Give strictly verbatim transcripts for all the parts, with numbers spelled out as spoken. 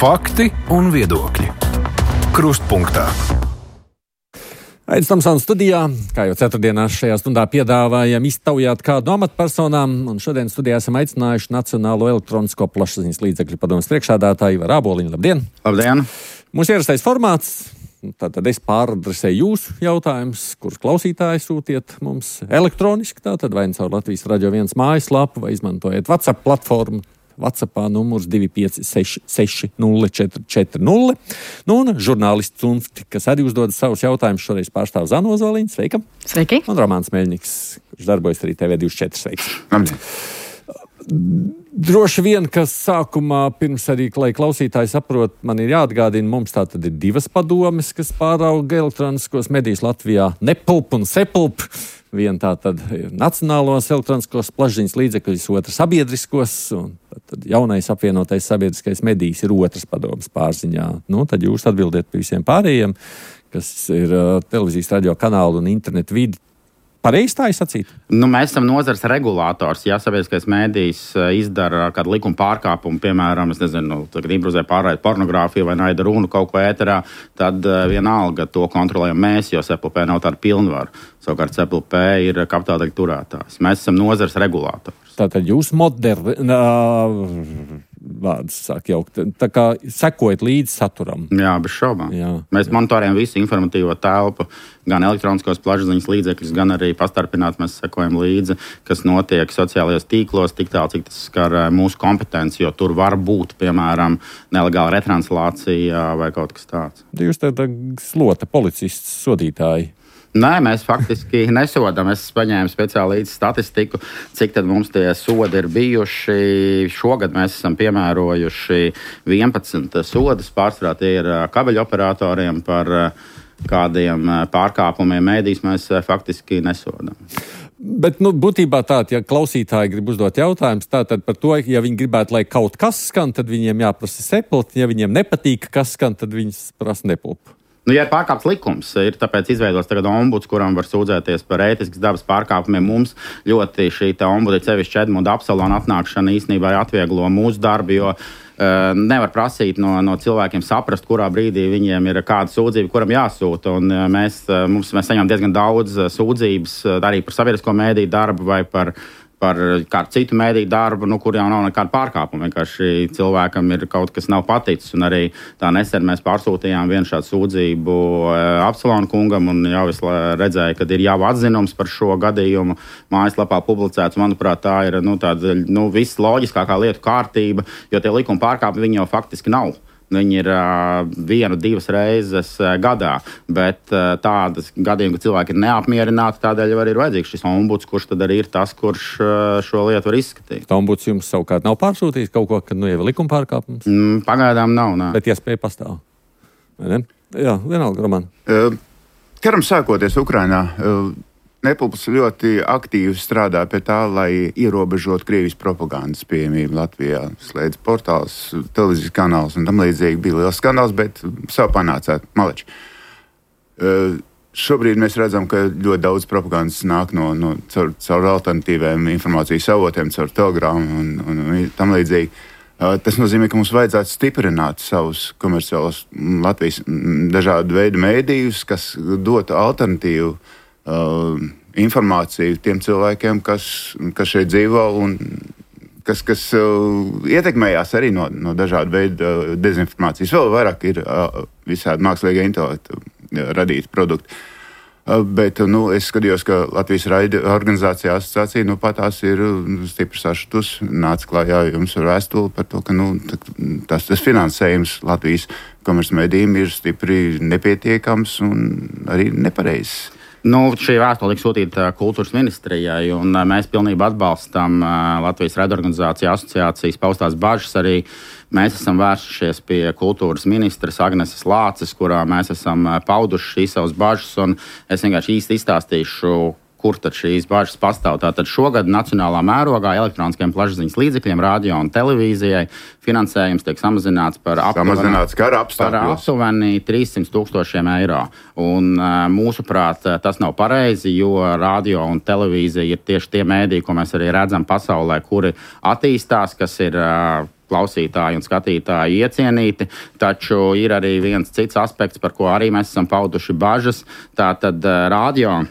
Fakti un viedokļi. Krustpunktā. Aidis Tomsons studijā, kā jau ceturtdienās šajā stundā piedāvājam iztaujāt kādu no amatpersonām, un šodien studijā esam aicinājuši Nacionālo elektronisko plašsaziņas līdzekļu padomes priekšsēdētāju Ivaru Āboliņu. Labdien! Labdien! Mūsu ierastais formāts, tātad es pāradresēju jūsu jautājumus, kurus klausītāji sūtiet mums elektroniski, tātad vai caur Latvijas Radio viens mājaslapu, vai izmantojiet WhatsApp platformu. WhatsAppā numurs divi pieci seši seši nulle četri četri nulle. Nu, un žurnālists Cunfti, kas arī uzdod savus jautājumus, šoreiz pārstāv Zano Ozoliņu. Sveika! Sveiki! Un Romāns Meļņiks, kurš darbojas arī T V divdesmit četri. Sveiks! Labdien! Droši vien, kas sākumā, pirms arī, lai klausītāji saprot, man ir jāatgādina, mums tā tad ir divas padomes, kas pārauga elektroniskos medijus Latvijā - Nepulp un Sepulp. Viena tā tad ir nacionālos elektroniskos plašsaziņas līdzekļus, otrs sabiedriskos, un tad jaunais apvienotais sabiedriskais medijs ir otrs padomes pārziņā. Nu, tad jūs atbildiet par visiem pārējiem, kas ir uh, televīzijas, radio kanālu un internetu vidi. Pareizi tā ir sacīt? Nu, mēs esam nozars regulators. Ja sabiedriskais mēdījis izdara kādu likuma pārkāpumu, piemēram, es nezinu, tagad improvizē pārraida pornogrāfiju vai naida runu kaut ko ēterā, tad vienalga to kontrolējam mēs, jo S P L P nav tāda pilnvaru. Savukārt S P L P ir kapitāldaļu turētājs. Mēs esam nozars regulators. Tātad jūs moderni... vārds sāk jaukt. Tā kā sekojat līdz saturam. Jā, bez šaubām. Jā, mēs jā. monitorējam visu informatīvo telpu, gan elektroniskos plašsaziņas līdzekļus, gan arī pastarpināti mēs sekojam līdzi, kas notiek sociālajos tīklos, tik tālu, cik tas skar mūsu kompetenci, jo tur var būt, piemēram, nelegāla retranslācija vai kaut kas tāds. Jūs tāda slota policists, sodītāji. Nē, mēs faktiski nesodām. Es paņēmu speciāli līdzi statistiku, cik tad mums tie sodi ir bijuši. Šogad mēs esam piemērojuši vienpadsmit sodus. Pārsvarā tie ir kabeļu operatoriem par kādiem pārkāpumiem mēdīs mēs faktiski nesodām. Bet, nu, būtībā tā, ja klausītāji grib uzdot jautājumus, tātad par to, ja viņi gribētu, lai kaut kas skan, tad viņiem jāprasa Sepulp. Ja viņiem nepatīk, kas skan, tad viņas prasa Nepulp. Nu, ja ir pārkāpts likums, ir tāpēc izveidots tagad ombuds, kuram var sūdzēties par ētiskas dabas pārkāpumiem. Mums ļoti šī ombuda, sevišķi Edmunda Apsalona atnākšana īstenībā atvieglo mūsu darbu, jo uh, nevar prasīt no, no cilvēkiem saprast, kurā brīdī viņiem ir kāda sūdzība, kuram jāsūta. Un, uh, mēs, uh, mums, mēs saņemam diezgan daudz uh, sūdzības uh, arī par sabiedrisko mēdīju darbu vai par par kādu citu mēdīju darbu, nu, kur jau nav nekāda pārkāpuma. Vienkārši cilvēkam ir kaut kas nav paticis. Un arī tā nesen mēs pārsūtījām vienu šādu sūdzību Apsalona kungam, un jau es redzēju, ka ir jau atzinums par šo gadījumu mājaslapā publicēts. Manuprāt, tā ir nu, tāda nu, viss loģiskākā lietu kārtība, jo tie likuma pārkāpumi viņi jau faktiski nav. Viņi ir uh, vienu, divas reizes uh, gadā, bet uh, tādas gadījumi, ka cilvēki ir neapmierināti, tādēļ arī ir vajadzīgs šis ombuds, kurš tad arī ir tas, kurš uh, šo lietu var izskatīt. Tā ombuds jums savukārt nav pārsūtījis kaut ko, kad nu jau ir likuma pārkāpums? Mm, pagaidām nav, nē. Bet iespēja pastāv. Ne? Jā, vienalga, Roman. Uh, karam sākoties Ukrainā, uh, Nepulps ļoti aktīvi strādā pie tā, lai ierobežotu Krievijas propagandas pieejamību Latvijā. Slēdz portāls, televīzijas kanāls un tam līdzīgi. Bija liels skandāls, bet savu panācāt maleči. Uh, šobrīd mēs redzam, ka ļoti daudz propagandas nāk no, no caur, caur alternatīviem informācijas avotiem, caur telegramu un, un, un tam līdzīgi. Uh, tas nozīmē, ka mums vajadzētu stiprināt savus komerciālos Latvijas dažādu veidu mēdījus, kas dotu alternatīvu Uh, informāciju tiem cilvēkiem, kas, kas šeit dzīvo un kas, kas uh, ietekmējās arī no, no dažādu veidu uh, dezinformācijas. Vēl vairāk ir uh, visādi mākslīgie intelekti uh, radīti produkti. Uh, bet uh, nu, es skatījos, ka Latvijas raida organizācija asociācija nu, patās ir uh, stipri sašutus, nāca klājā jums ar vēstuli par to, ka nu, tas, tas finansējums Latvijas komercmedijiem ir stipri nepietiekams un arī nepareizs. Nu, šī vēstule tika sūtīta kultūras ministrijai, un mēs pilnībā atbalstam Latvijas raidorganizāciju asociācijas paustās bažas. Arī mēs esam vērsušies pie kultūras ministres Agneses Lāces, kurā mēs esam pauduši šīs savas bažas, un es vienkārši īsti izstāstīšu, kur tad šīs bažas pastāv. Tātad šogad nacionālā mērogā elektroniskiem plašsaziņas līdzekļiem, radio un televīzijai finansējums tiek samazināts par aptuveni trīssimt tūkstošiem eiro. Un mūsuprāt, tas nav pareizi, jo radio un televīzija ir tieši tie mēdīji, ko mēs arī redzam pasaulē, kuri attīstās, kas ir klausītāji un skatītāji iecienīti, taču ir arī viens cits aspekts, par ko arī mēs esam pauduši bažas. Tātad radio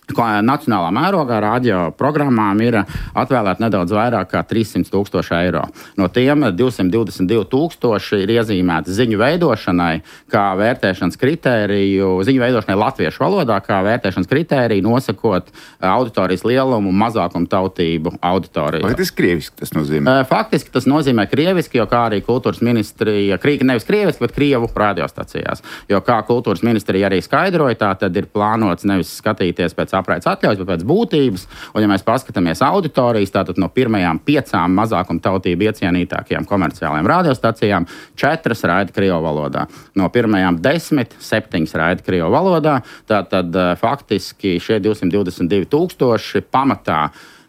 nacionālā mērogā radio programmām ir atvēlēta nedaudz vairāk kā trīssimti tūkstoši eiro. No tiem divsimt divdesmit divi tūkstoši ir iezīmēti ziņu veidošanai, kā vērtēšanas kritēriju, ziņu veidošanai latviešu valodā, kā vērtēšanas kritēriju, nosakot auditorijas lielumu, mazākumu tautību auditoriju. Faktiski krieviski tas nozīmē? Faktiski tas nozīmē krieviski, jo kā arī kultūras ministrija, nevis krieviski, bet Krievu radiostacijās. Jo kā kultūras ministrija arī skaidroja, tā tad ir plānots nevis skatīties pēc apraides atļaujas, bet pēc būtības. Un, ja mēs paskatāmies auditorijas, tātad no pirmajām piecām mazākuma tautību iecienītākajām komerciālajām radiostacijām, četras raida Krievu valodā. No pirmajām desmit, septiņas raida Krievu valodā. Tātad faktiski šie divsimt divdesmit divi tūkstoši pamatā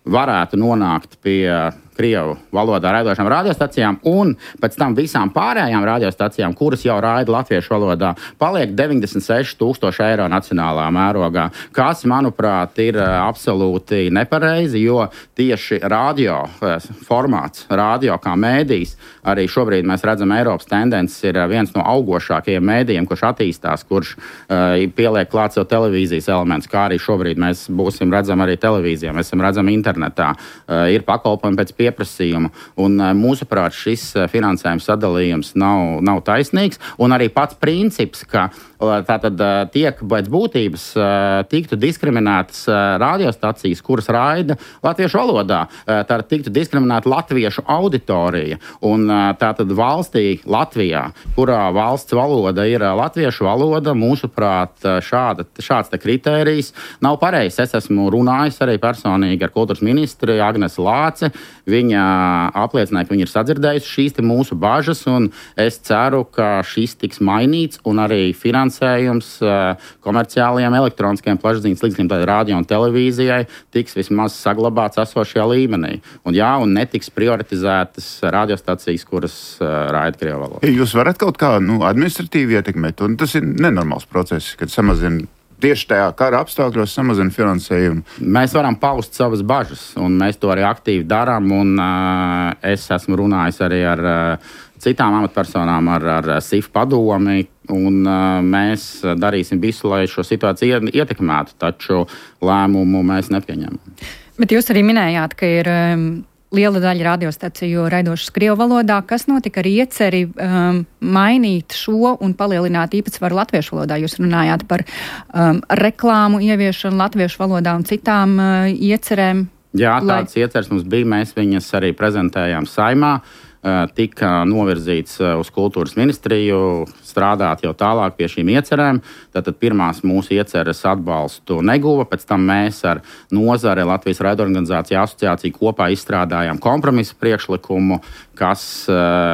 varētu nonākt pie Krievu valodā raidošām radiostacijām, un pēc tam visām pārējām radiostacijām, kuras jau raida latviešu valodā, paliek deviņdesmit seši tūkstoši eiro nacionālā mērogā, kas, manuprāt, ir absolūti nepareizi, jo tieši radio formāts, radio kā mēdījis, arī šobrīd mēs redzam Eiropas tendences, ir viens no augošākajiem mēdījiem, kurš attīstās, kurš uh, pieliek klāt sev televīzijas elements, kā arī šobrīd mēs būsim redzam arī televīzijā, mēs esam redzam internetā, uh, ir pakalpojumi pēc pieprasījuma, un uh, mūsuprāt šis uh, finansējums sadalījums nav, nav taisnīgs, un arī pats princips, ka uh, tātad uh, tiek pēc būtības uh, tiktu diskriminētas uh, radiostacijas, kuras raida latviešu valodā, uh, tātad tiktu diskriminēta latviešu auditorija, un tātad valstī Latvijā, kurā valsts valoda ir latviešu valoda, mūsuprāt, šāda, šāds te kritērijs nav pareizs. Es esmu runājis arī personīgi ar kultūras ministri Agnesi Lāci. Viņa apliecināja, ka viņa ir sadzirdējusi šīs te mūsu bažas, un es ceru, ka šis tiks mainīts, un arī finansējums komerciālajiem elektroniskajiem plašsaziņas līdzekļiem, tātad radio un televīzijai, tiks vismaz saglabāts esošajā līmenī. Un jā, un netiks prioritizētas radiostacijas, kuras uh, raida Krievu valodā. Jūs varat kaut kā nu, administratīvi ietekmēt, un tas ir nenormāls process, kad samazina tieši tajā kara apstākļos, samazina finansējumu. Mēs varam paust savas bažas, un mēs to arī aktīvi darām, un uh, es esmu runājis arī ar uh, citām amatpersonām, ar, ar S I F padomi, un uh, mēs darīsim visu, lai šo situāciju ietekmētu, taču lēmumu mēs nepieņemam. Bet jūs arī minējāt, ka ir um, liela daļa radiostaciju raidošas Krievu valodā. Kas notika ar ieceri um, mainīt šo un palielināt īpatsvaru latviešu valodā? Jūs runājāt par um, reklāmu ieviešanu latviešu valodā un citām uh, iecerēm. Jā, lai... tāds ieceres mums bija. Mēs viņas arī prezentējām Saimā. Tika novirzīts uz kultūras ministriju, strādāt jau tālāk pie šīm iecerēm. Tātad pirmās mūsu ieceres atbalstu neguva, pēc tam mēs ar nozare Latvijas raidorganizāciju asociāciju kopā izstrādājām kompromisu priekšlikumu, kas,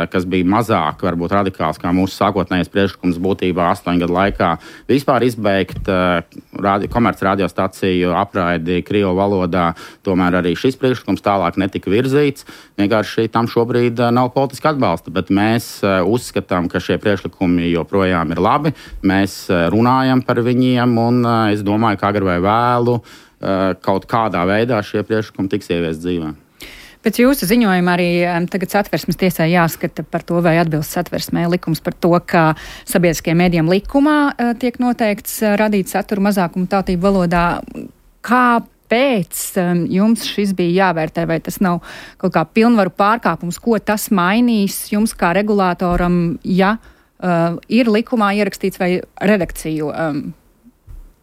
kas bija mazāk, varbūt radikāls, kā mūsu sākotnējais priekšlikums būtībā astoņu gadu laikā vispār izbeigt radi, komerc radiostaciju apraidi Krievu valodā. Tomēr arī šis priekšlikums tālāk netika virzīts. Vienkārši tam šobrīd nav politiska atbalsta, bet mēs uh, uzskatām, ka šie priekšlikumi joprojām ir labi. Mēs uh, runājam par viņiem, un uh, es domāju, ka agri vai vēlu uh, kaut kādā veidā šie priekšlikumi tiks ieviest dzīvē. Pēc jūsu ziņojuma arī um, tagad Satversmes tiesai jāskata par to, vai atbilst Satversmē likums par to, ka sabiedriskajiem mēdījiem likumā uh, tiek noteikts uh, radīt saturu mazākumu tautību valodā. Kā pēc um, jums šis bija jāvērtē, vai tas nav kaut kā pilnvaru pārkāpums, ko tas mainīs jums kā regulātoram, ja uh, ir likumā ierakstīts vai redakciju um,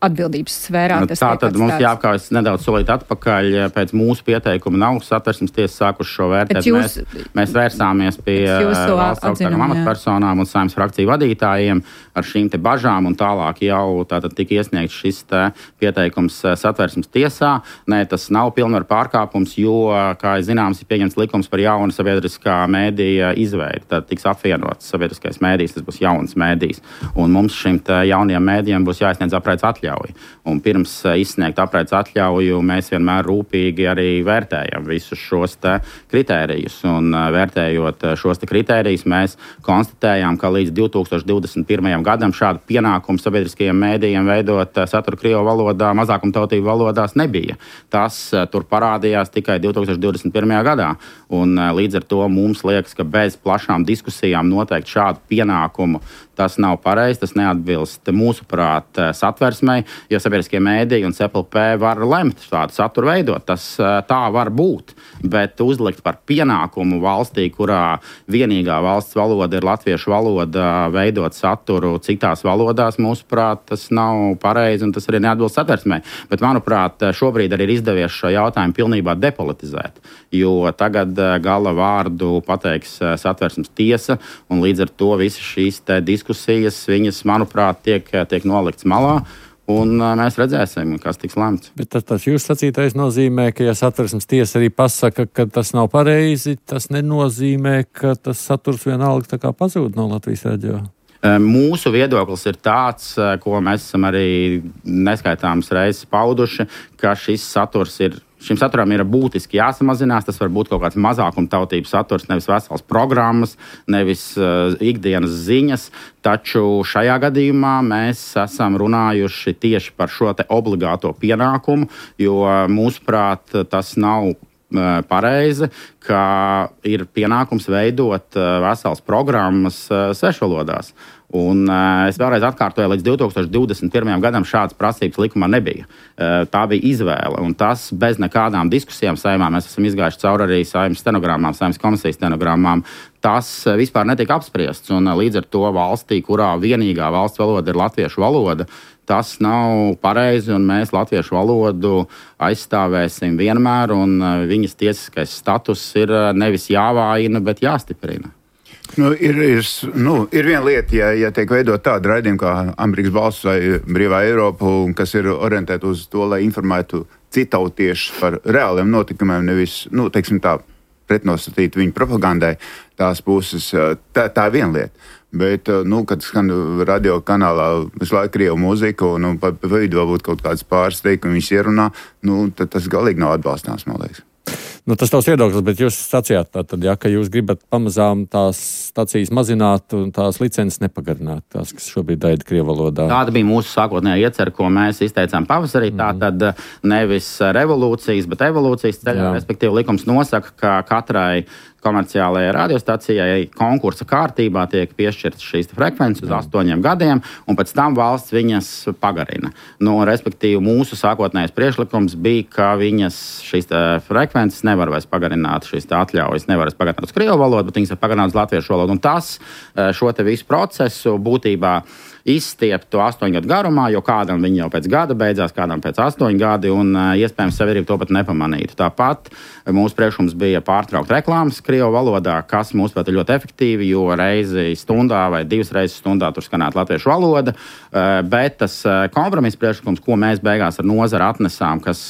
atbildības sfērā. Tā tad mums jāapkājas nedaudz solīt atpakaļ. Pēc mūsu pieteikuma nav Satversmes tiesa sākuši šo vērtēt. Jūs, mēs, mēs vērsāmies pie valsts augstākām amatpersonām un Saeimas frakciju vadītājiem ar šīm te bažām, un tālāk jau tātad tika iesniegts šis te pieteikums Satversmes tiesā. Nē, tas nav pilnvaru pārkāpums, jo, kā zināms, ir pieņemts likums par jaunu sabiedriskā mēdīja izveidi. Tad tiks apvienots sabiedriskais mēdījis, tas būs jauns mēdījis. Un mums šim te jaunajiem mēdījiem būs jāizsniedz apraides atļaujas. atļauja. Un pirms izsniegt apraides atļauju mēs vienmēr rūpīgi arī vērtējam visus šos te kritērijus. Un vērtējot šos te kritērijus, mēs konstatējām, ka līdz divi tūkstoši divdesmit pirmajam gadam šādu pienākumu sabiedriskajiem mēdījiem veidot saturu krievu valodā, mazākumtautību valodās nebija. Tas tur parādījās tikai divi tūkstoši divdesmit pirmajā gadā. Un līdz ar to mums liekas, ka bez plašām diskusijām noteikt šādu pienākumu tas nav pareizi, tas neatbilst mūsuprāt satversmei, jo sabiedriskie mēdīji un C P L P var lemt šādu saturu veidot. Tas tā var būt, bet uzlikt par pienākumu valstī, kurā vienīgā valsts valoda ir latviešu valoda, veidot saturu citās valodās, mūsuprāt, tas nav pareizi un tas arī neatbilst satversmei. Bet, manuprāt, šobrīd arī ir izdevies šo jautājumu pilnībā depolitizēt, jo tagad gala vārdu pateiks satversmes tiesa un līdz ar to visas šīs te diskusijas, viņas, manuprāt, tiek, tiek nolikts malā. Un mēs redzēsim, kas tiks lemts. Bet tas, tas jūs sacītais nozīmē, ka, ja satversmes tiesa arī pasaka, ka tas nav pareizi, tas nenozīmē, ka tas saturs vienalga tā kā pazūd no Latvijas radio. Mūsu viedoklis ir tāds, ko mēs esam arī neskaitāmas reizes pauduši, ka šis saturs ir. Šim saturam ir būtiski jāsamazinās. Tas var būt kaut kāds mazākumtautības saturs, nevis veselas programmas, nevis uh, ikdienas ziņas. Taču šajā gadījumā mēs esam runājuši tieši par šo te obligāto pienākumu, jo mūsuprāt tas nav pareizi, ka ir pienākums veidot veselas programmas svešvalodās. Un uh, es vēlreiz atkārtoju, līdz divi tūkstoši divdesmit pirmajam gadam šādas prasības likumā nebija. Uh, tā bija izvēle, un tas bez nekādām diskusijām Saeimā, mēs esam izgājuši cauri arī Saeimas stenogrammām, Saeimas komisijas stenogrammām, tas uh, vispār netiek apspriests, un uh, līdz ar to valstī, kurā vienīgā valsts valoda ir latviešu valoda, tas nav pareizi, un mēs latviešu valodu aizstāvēsim vienmēr, un uh, viņas tiesiskais status ir uh, nevis jāvājina, bet jāstiprina. Nu, ir, ir, nu, ir viena lieta, ja, ja tiek veidot tāda raidījuma kā Amerikas balss vai Brīvā Eiropa, kas ir orientēta uz to, lai informētu citautiešus par reāliem notikumiem, nevis, nu, teiksim tā, pretnostatīt viņu propagandai, tās puses, tā, tā ir viena lieta. Bet, nu, kad skan radio kanālā visu laiku krievu mūziku, un nu, pa, pa vidu varbūt kaut kāds pāris teikumi viņas ierunā, nu, tad tas galīgi nav atbalstāms, man liekas. Nu, tas tavs viedoklis, bet jūs sacījāt, tātad, ja, ka jūs gribat pamazām tās stacijas mazināt un tās licences nepagarināt, tās, kas šobrīd raida krievu valodā. Tāda bija mūsu sākotnējā iecerē, ko mēs izteicām pavasarī. Mm. Tātad nevis revolūcijas, bet evolūcijas ceļā, respektīvi likums nosaka, ka katrai komerciālajai radiostacijai konkursa kārtībā tiek piešķirtas šīs frekvences uz astoņiem gadiem, un pēc tam valsts viņas pagarina. Nu, respektīvi, mūsu sākotnējais priekšlikums bija, ka viņas šīs frekvences nevar vairs pagarināt, šīs atļaujas nevar vairs pagarināt uz krievu valodu, bet viņas ir pagarināt uz latviešu valodu. Un tas šo te visu procesu būtībā izstiept to astoņu gadu garumā, jo kādam viņi jau pēc gada beidzās, kādam pēc astoņu gadi, un iespējams sabiedrība to pat nepamanītu. Tāpat mūsu priekšlikums bija pārtraukt reklāmas krievu valodā, kas mūsuprāt ir ļoti efektīvi, jo reizi stundā vai divas reizes stundā tur skanētu latviešu valoda, bet tas kompromiss priekšlikums, ko mēs beigās ar nozari atnesām, kas,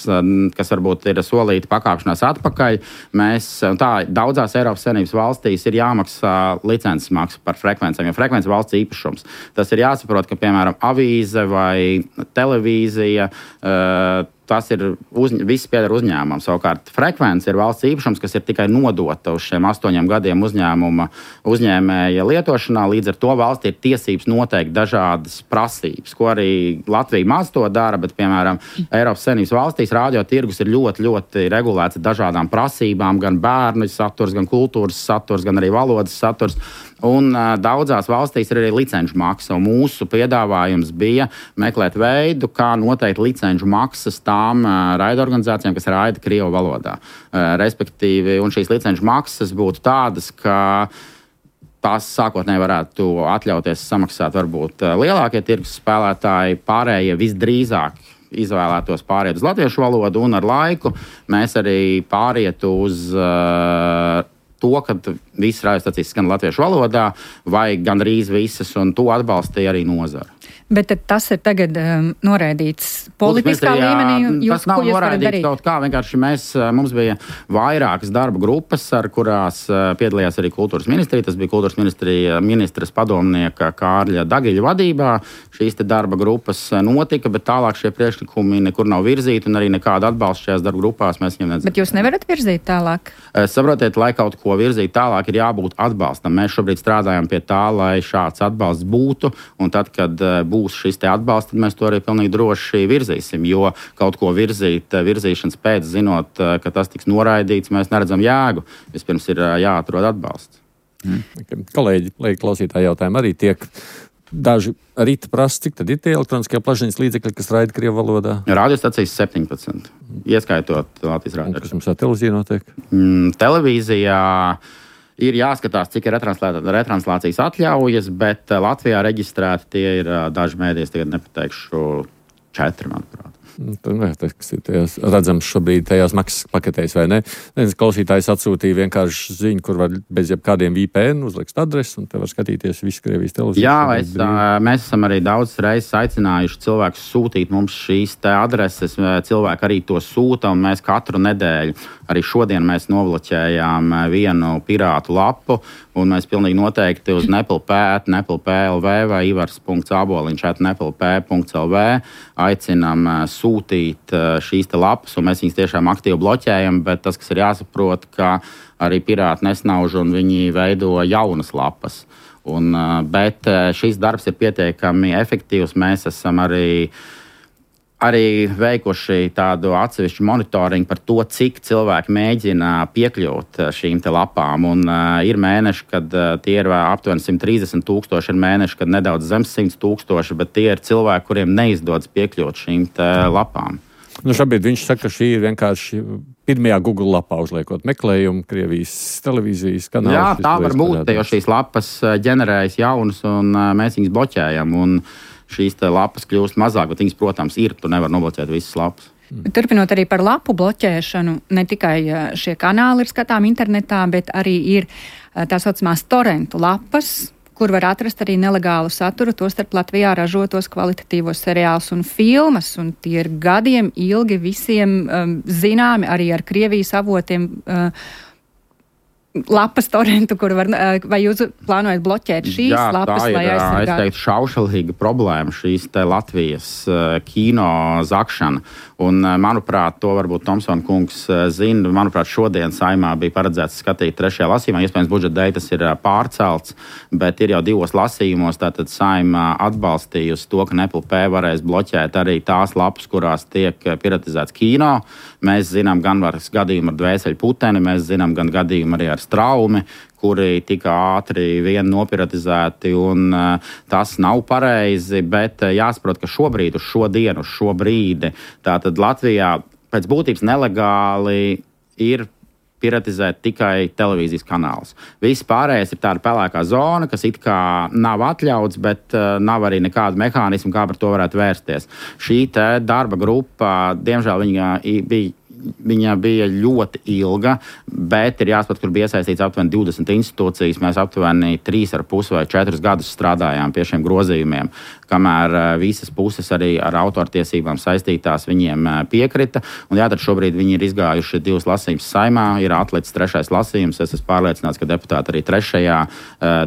kas varbūt ir solīta pakāpšanās atpakaļ, mēs, tā daudzās Eiropas Savienības valstīs ir jāmaksā licences maksa par frekvencēm, jo frekvence valsts īpašums. Tas ir jāsaprot, ka, piemēram, avīze vai televīzija, uh, tas ir uz, viss pieder uzņēmumam. Savukārt frekvence ir valsts īpašums, kas ir tikai nodota uz šiem astoņiem gadiem uzņēmuma uzņēmēja lietošanā. Līdz ar to valsts ir tiesības noteikt dažādas prasības, ko arī Latvija maz to dara, bet, piemēram, Eiropas Savienības valstīs radio tirgus ir ļoti, ļoti regulēts dažādām prasībām, gan bērnu saturs, gan kultūras saturs, gan arī valodas saturs. Un uh, daudzās valstīs ir arī licenču maksa. Mūsu piedāvājums bija meklēt veidu, kā noteikt licenču maksas tām uh, raidorganizācijām, kas raida krievu valodā. Uh, respektīvi, un šīs licenču maksas būtu tādas, ka tās sākotnēji varētu atļauties samaksāt varbūt uh, lielākie tirgus spēlētāji, pārējie visdrīzāk izvēlētos pāriet uz latviešu valodu, un ar laiku mēs arī pārietu uz uh, to, ka visas radiostacijas skan latviešu valodā, vai gandrīz visas, un to atbalstīja arī nozara. Bet tas ir tagad um, noraidīts politiskā līmenī. Jūs, tas nav noraidīts kaut kā. Vienkārši mēs, mums bija vairākas darba grupas, ar kurās piedalījās arī kultūras ministrija. Tas bija kultūras ministrija ministras padomnieka Kārļa Dagiļa vadībā. Šīs te darba grupas notika, bet tālāk šie priekšlikumi nekur nav virzīti un arī nekāda atbalsta šajās darba grupās mēs viņiem nedzird. Bet jūs nevarat virzīt tālāk? Saprotiet, lai kaut ko virzīt tālāk, ir jābūt atbalstam. Mēs šobrīd strādājam pie tā, lai šāds atbalsts būtu, un tad, kad būs būs šis te atbalsts, tad mēs to arī pilnīgi droši virzīsim, jo kaut ko virzīt, virzīšanas pēc, zinot, ka tas tiks noraidīts, mēs neredzam jēgu. Vispirms ir jāatrod atbalsts. Mm. Kolēģi, lai klausītāji jautājumi arī tiek daži rīta prasa, cik tad ir tie elektroniskie plašsaziņas līdzekļi, kas raida krievu valodā? Radiostacijas septiņpadsmit, ieskaitot Latvijas rādio. Kas mums ar televīziju notiek? Mm, televīzijā ir jāskatās, cik ir retranslācijas atļaujas, bet Latvijā reģistrēti tie ir daži mēdīs, tagad nepateikšu četri, manuprāt. Tur nevajag, kas ir tajās, redzams šobrīd tajās maksas paketēs, vai ne? Viens klausītājs atsūtīja vienkārši ziņu, kur var bez jebkādiem V P N uzlikt adresi, un te var skatīties visu Krievijas televīziju. Jā, es, mēs esam arī daudz reizes aicinājuši cilvēkus sūtīt mums šīs te adreses. Cilvēki arī to sūta, un mēs katru nedēļu, arī šodien mēs novloķējām vienu pirātu lapu, un mēs pilnīgi noteikti uz nepilpēt, nepilpē.lv vai ivars.aboliņš at nepilpē.lv aicinām sūtīt šīs te lapas, un mēs viņas tiešām aktīvi bloķējam, bet tas, kas ir jāsaprot, ka arī pirāti nesnauž un viņi veido jaunas lapas. Un, bet šis darbs ir pietiekami efektīvs. Mēs esam arī arī veikuši tādu atsevišķu monitoringu par to, cik cilvēki mēģina piekļūt šīm te lapām. Un, uh, ir mēneši, kad uh, tie ir aptuveni simt trīsdesmit tūkstoši, ir mēneši, kad nedaudz zem simt tūkstoši, bet tie ir cilvēki, kuriem neizdodas piekļūt šīm te lapām. Nu, šobrīd viņš saka, ka šī ir vienkārši pirmajā Google lapā uzliekot meklējumu Krievijas televīzijas kanālus. Jā, tā var būt, jo šīs lapas ģenerējas jaunas un uh, mēs viņas bloķējam. Un, šīs lapas kļūst mazāk, bet viņas, protams, ir. Tu nevar nobloķēt visas lapas. Turpinot arī par lapu bloķēšanu, ne tikai šie kanāli ir skatām internetā, bet arī ir tā saucamās torentu lapas, kur var atrast arī nelegālu saturu, tostarp Latvijā ražotos kvalitatīvos seriālus un filmas. Un tie ir gadiem ilgi visiem um, zināmi, arī ar Krievijas avotiem uh, lapas torentu, kur var, vai jūs plānojat bloķēt šīs Jā, lapas, lai aizsargātu? Jā, tā ir, es teiktu, šaušalīga problēma, šīs te Latvijas uh, kino zakšana. Un, uh, manuprāt, to varbūt Tomsona kungs uh, zina. Manuprāt, šodien Saeimā bija paredzēts skatīt trešajā lasījumā. Iespējams, budžeta dēļ tas ir uh, pārcelts, bet ir jau divos lasījumos. Tātad Saeimā atbalstījusi to, ka Nepl.P varēs bloķēt arī tās lapas, kurās tiek piratizēts kino. Mēs zinām gan gadījumu ar Dvēseļu puteni, mēs zinām gan gadījumu arī ar Straumi, kuri tika ātri vien nopiratizēti, un uh, tas nav pareizi, bet uh, jāsaprot, ka šobrīd, uz šo dienu, uz šo brīdi, tātad Latvijā pēc būtības nelegāli ir piratizēt tikai televīzijas kanālus. Viss pārējais ir tāda pelēkā zona, kas it kā nav atļauts, bet uh, nav arī nekāda mehānisma, kā par to varētu vērsties. Šī te darba grupa, diemžēl viņa bija Viņa bija ļoti ilga, bet ir jāsaprot, kur bija iesaistīts aptuveni divdesmit institūcijas. Mēs aptuveni trīs ar pus vai četrus gadus strādājām pie šiem grozījumiem, kamēr visas puses arī ar autortiesībām saistītās viņiem piekrita. Un jā, tad šobrīd viņi ir izgājuši divus lasījumus Saeimā, ir atlicis trešais lasījums. Es esmu pārliecināts, ka deputāti arī trešajā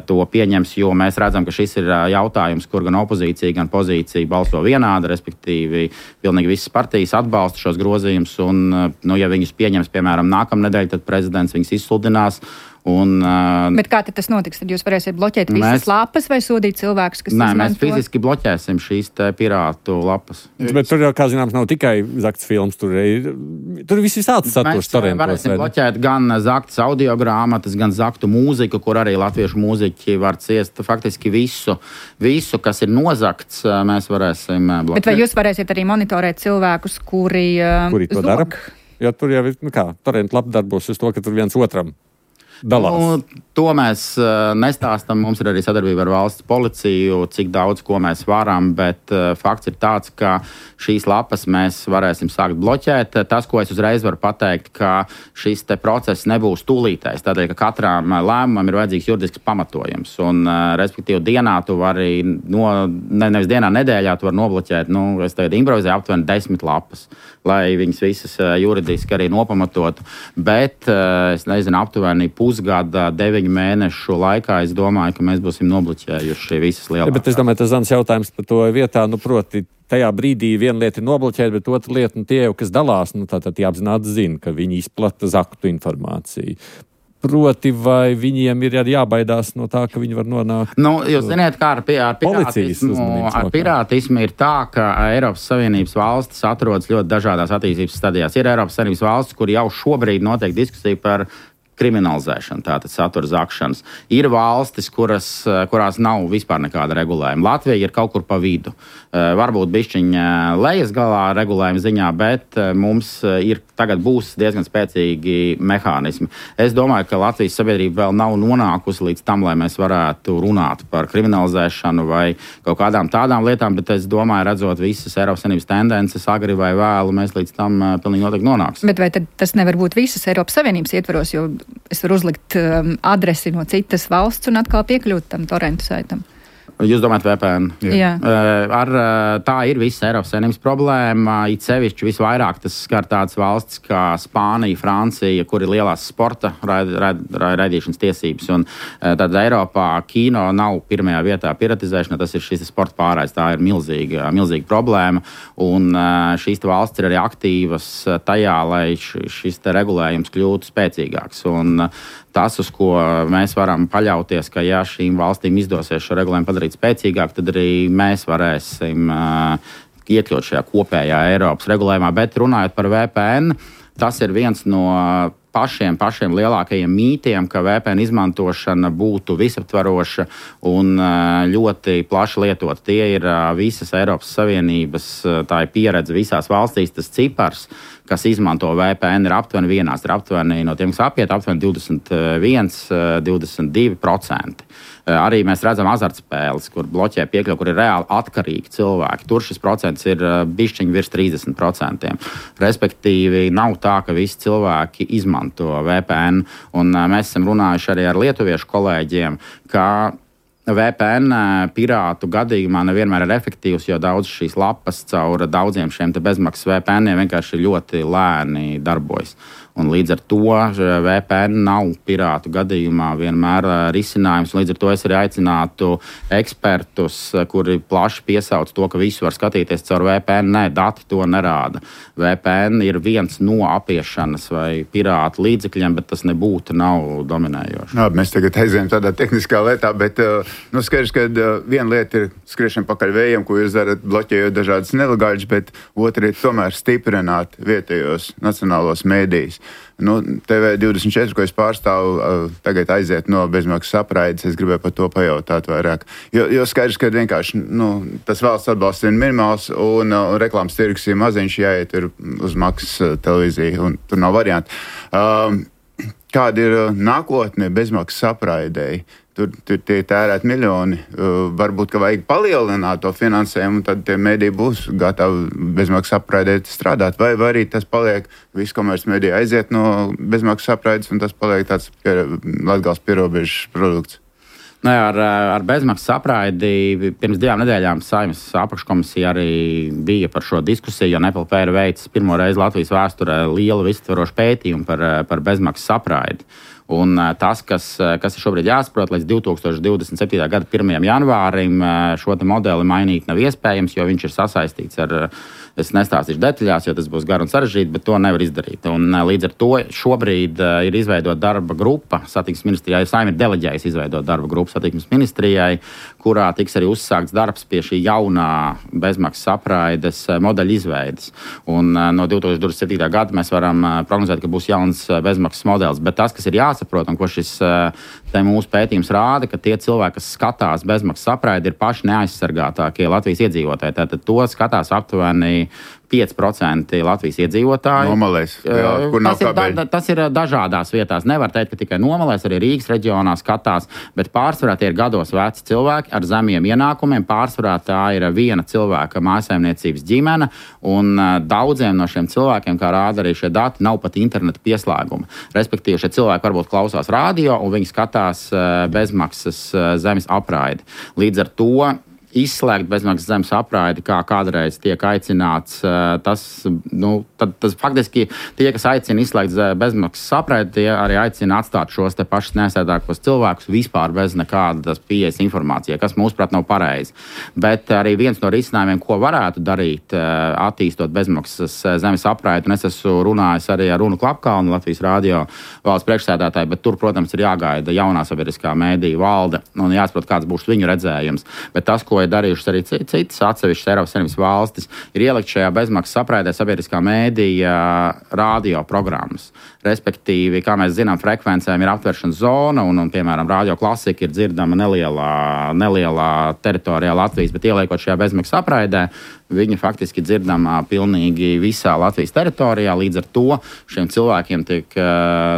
to pieņems, jo mēs redzam, ka šis ir jautājums, kur gan opozīcija, gan pozīcija balso vienādi, respektīvi pilnīgi visas partijas atbalsta šos grozījumus. Un, nu, ja viņus pieņems, piemēram, nākamnedēļ, tad prezidents viņus izsludinās. Un, uh, Bet kā tad tas notiks? Tad jūs varēsiet bloķēt visas mēs, lapas vai sodīt cilvēkus, kas nē, izmanto? Mēs fiziski bloķēsim šīs te pirātu lapas. Bet tur jau, kā zināms, nav tikai zakts films, tur ir, tur ir viss visāds saturs torentos. Mēs varēsim bloķēt gan zaktas audiogrāmatas, gan zaktu mūziku, kur arī latviešu mūziķi var ciest faktiski visu, visu, kas ir nozakts, mēs varēsim bloķēt. Bet vai jūs varēsiet arī monitorēt cilvēkus, kuri, kuri to zog? dara? Jo tur jau ir, nu kā, torentu lapa darbos uz to, ka tur viens otram dalās? Nu, to mēs uh, nestāstam. Mums ir arī sadarbība ar valsts policiju, cik daudz ko mēs varam, bet uh, fakts ir tāds, ka šīs lapas mēs varēsim sākt bloķēt. Tas, ko es uzreiz varu pateikt, ka šis te process nebūs tūlītējs, tādēļ, ka katram lēmumam ir vajadzīgs juridisks pamatojums. Un, uh, respektīvi, dienā tu vari, no, ne, nevis dienā, nedēļā tu vari nobloķēt, nu, es tagad improvizēju aptuveni desmit lapas, lai viņas visas uh, juridiski arī nopamatotu. Bet, uh, es nezinu, aptuveni pusgada, deviņu mēnešu laikā, es domāju, ka mēs būsim nobloķējuši visas lielākās. Ja, bet es domāju, tas Zans jautājums par to vietā, nu, proti, tajā brīdī viena lieta ir nobloķēt, bet otra lieta, nu, tie jau, kas dalās, nu, tātad jāapzināti zina, ka viņi izplata zaktu informāciju. Proti, vai viņiem ir arī jābaidās no tā, ka viņi var nonākt? Nu, jūs zināt, kā ar, ar pirātismu, ar pirātismu ir tā, ka Eiropas Savienības valstis atrodas ļoti dažādās attīstības stadijās. Ir Eiropas Savienības valstis, kur jau šobrīd notiek diskusija par kriminalizēšana, tātad satura zakšanas. Ir valstis, kuras, kurās nav vispār nekāda regulējuma. Latvija ir kaut kur pa vidu. Varbūt bišķiņa lejas galā regulējuma ziņā, bet mums ir tagad būs diezgan spēcīgi mehānismi. Es domāju, ka Latvijas sabiedrība vēl nav nonākusi līdz tam, lai mēs varētu runāt par kriminalizēšanu vai kaut kādām tādām lietām, bet es domāju, redzot visas Eiropas Savienības tendences, agri vai vēlu, mēs līdz tam pilnīgi noteikti nonāksim. Bet vai tad tas nevar būt visas Eiropas Savienības ietvaros, jo es varu uzlikt um, adresi no citas valsts un atkal piekļūt tam torrentu saitam? Jūs domājat V P N? Jā. Ar, tā ir visa Eiropas Savienības problēma. It sevišķi visvairāk tas skar tādas valstis kā Spānija, Francija, kur ir lielās sporta raid, raid, raidīšanas tiesības. Un tad Eiropā kino nav pirmajā vietā piratizēšana, tas ir šis sporta pārraids. Tā ir milzīga, milzīga problēma. Un šīs valstis ir arī aktīvas tajā, lai šis te regulējums kļūtu spēcīgāks. Un tas, uz ko mēs varam paļauties, ka ja šīm valstīm izdosies šo regulējumu padarīt spēcīgāk, tad arī mēs varēsim uh, iekļūt šajā kopējā Eiropas regulējumā. Bet runājot par V P N, tas ir viens no pašiem, pašiem lielākajiem mītiem, ka V P N izmantošana būtu visaptvaroša un uh, ļoti plaši lietot. Tie ir uh, visas Eiropas Savienības, uh, tā ir pieredze visās valstīs, tas cipars, kas izmanto V P N, ir aptuveni vienās, ir aptuveni no tiem, kas apiet, aptuveni divdesmit viens, divdesmit divi procenti. Arī mēs redzam azartspēles, kur bloķē piekļuvi, kur ir reāli atkarīgi cilvēki. Tur šis procents ir bišķiņi virs trīsdesmit procentiem. Respektīvi, nav tā, ka visi cilvēki izmanto V P N. Un mēs esam runājuši arī ar lietuviešu kolēģiem, ka V P N pirātu gadījumā nevienmēr ir efektīvs, jo daudz šīs lapas caur daudziem šiem te bezmaksas V P N-iem vienkārši ļoti lēni darbojas. Un līdz ar to V P N nav pirātu gadījumā vienmēr risinājums. Līdz ar to es arī aicinātu ekspertus, kuri plaši piesauc to, ka visu var skatīties caur V P N. Nē, dati to nerāda. V P N ir viens no apiešanas vai pirātu līdzekļiem, bet tas nebūtu nav dominējoši. Jā, mēs tagad aizējām tādā tehniskā lietā, bet nu, skaidrs, ka viena lieta ir skriešana pakaļ vējiem, ko jūs darat bloķējot dažādas nelegāļas, bet otra ir tomēr stiprināt vietējos nacionālos mēdījus. Nu, T V divdesmit četri, ko es pārstāvu, tagad aiziet no bezmaksas apraides, es gribēju par to pajautāt vairāk. Jo, jo skaidrs, ka vienkārši nu, tas valsts atbalsts ir minimāls un uh, reklāmas tirgus ir maziņš, jāiet uz maksas televīziju, un tur nav varianti. Um, kāda ir nākotne bezmaksas apraidēji? Tur, tur tie tērēt miljoni. Uh, varbūt, ka vajag palielināt to finansējumu, un tad tie mediji būs gatavi bezmaksas apraidēt strādāt. Vai, vai arī tas paliek, viss komerces mediji aiziet no bezmaksas apraides, un tas paliek tāds pie, Latgales pierobežas produkts. Ne, ar, ar bezmaksas apraidi pirms divām nedēļām Saeimas apakškomisija arī bija par šo diskusiju, jo N P L P ir veicis pirmo reizi Latvijas vēsturē lielu visaptverošu pētījumu par, par bezmaksas apraidi. Un tas, kas, kas ir šobrīd jāsaprot, līdz divi tūkstoši divdesmit septītā gada pirmajam janvārim šo te modeli mainīt nav iespējams, jo viņš ir sasaistīts ar, es nestāstīšu detaļās, jo tas būs gar un sarežģīti, bet to nevar izdarīt. Un līdz ar to šobrīd ir izveidota darba grupa satiksmes ministrijai, Saeima ir deleģējusi izveidot darba grupu satiksmes ministrijai, kurā tiks arī uzsākts darbs pie šī jaunā bezmaksas apraides modeļa izveides. Un no divi tūkstoši divdesmit septītā gada mēs varam prognozēt, ka būs jauns bezmaksas modelis, bet tas, kas ir jāsaprot un ko šis te mūsu pētījums rāda, ka tie cilvēki, kas skatās bezmaksas apraidi, ir paši neaizsargātākie Latvijas iedzīvotāji. Tātad to skatās aptuveni pieci procenti Latvijas iedzīvotāji. Nomalēs, jā, kur nav tas, ir, kabeļi. da, tas ir dažādās vietās. Nevar teikt, ka tikai Nomalēs, arī Rīgas reģionā skatās, bet pārsvarā tie ir gados veci cilvēki ar zemiem ienākumiem. Pārsvarā tā ir viena cilvēka mājsaimniecības ģimene, un daudziem no šiem cilvēkiem, kā rāda arī šie dati, nav pat interneta pieslēguma. Respektīvi, šie cilvēki varbūt klausās rādio, un viņi skatās bezmaksas zemes apraidi. Līdz ar to izslēgt bezmaksas zemes apraidi, kā kādreiz tiek aicināts, tas, nu, tad, tas faktiski tie, kas aicina izslēgt bezmaksas apraidi, tie arī aicina atstāt šos te pašus nesēdākos cilvēkus vispār bez nekādas pieejas informācijai, kas mūsuprāt nav pareizi. Bet arī viens no risinājumiem, ko varētu darīt, attīstot bezmaksas zemes apraidi, un es esmu runājis arī ar Runu Klapkalnu, Latvijas radio valsts priekšsēdētāju, bet tur, protams, ir jāgaida jaunā sabiedriskā mēdīja valde un jāsaprot, kāds būs viņu redzējums. Bet tas, ko ir darījušas arī citas atsevišķas Eiropas Savienības valstis, ir ielikt šajā bezmaksas apraidē sabiedriskā mēdīja radio programmas. Respektīvi, kā mēs zinām, frekvencēm ir aptveršanas zona, un, un piemēram, radio klasika ir dzirdama nelielā, nelielā teritorijā Latvijas, bet ieliekot šajā bezmaksas apraidē, viņa faktiski dzirdama pilnīgi visā Latvijas teritorijā. Līdz ar to šiem cilvēkiem tiek,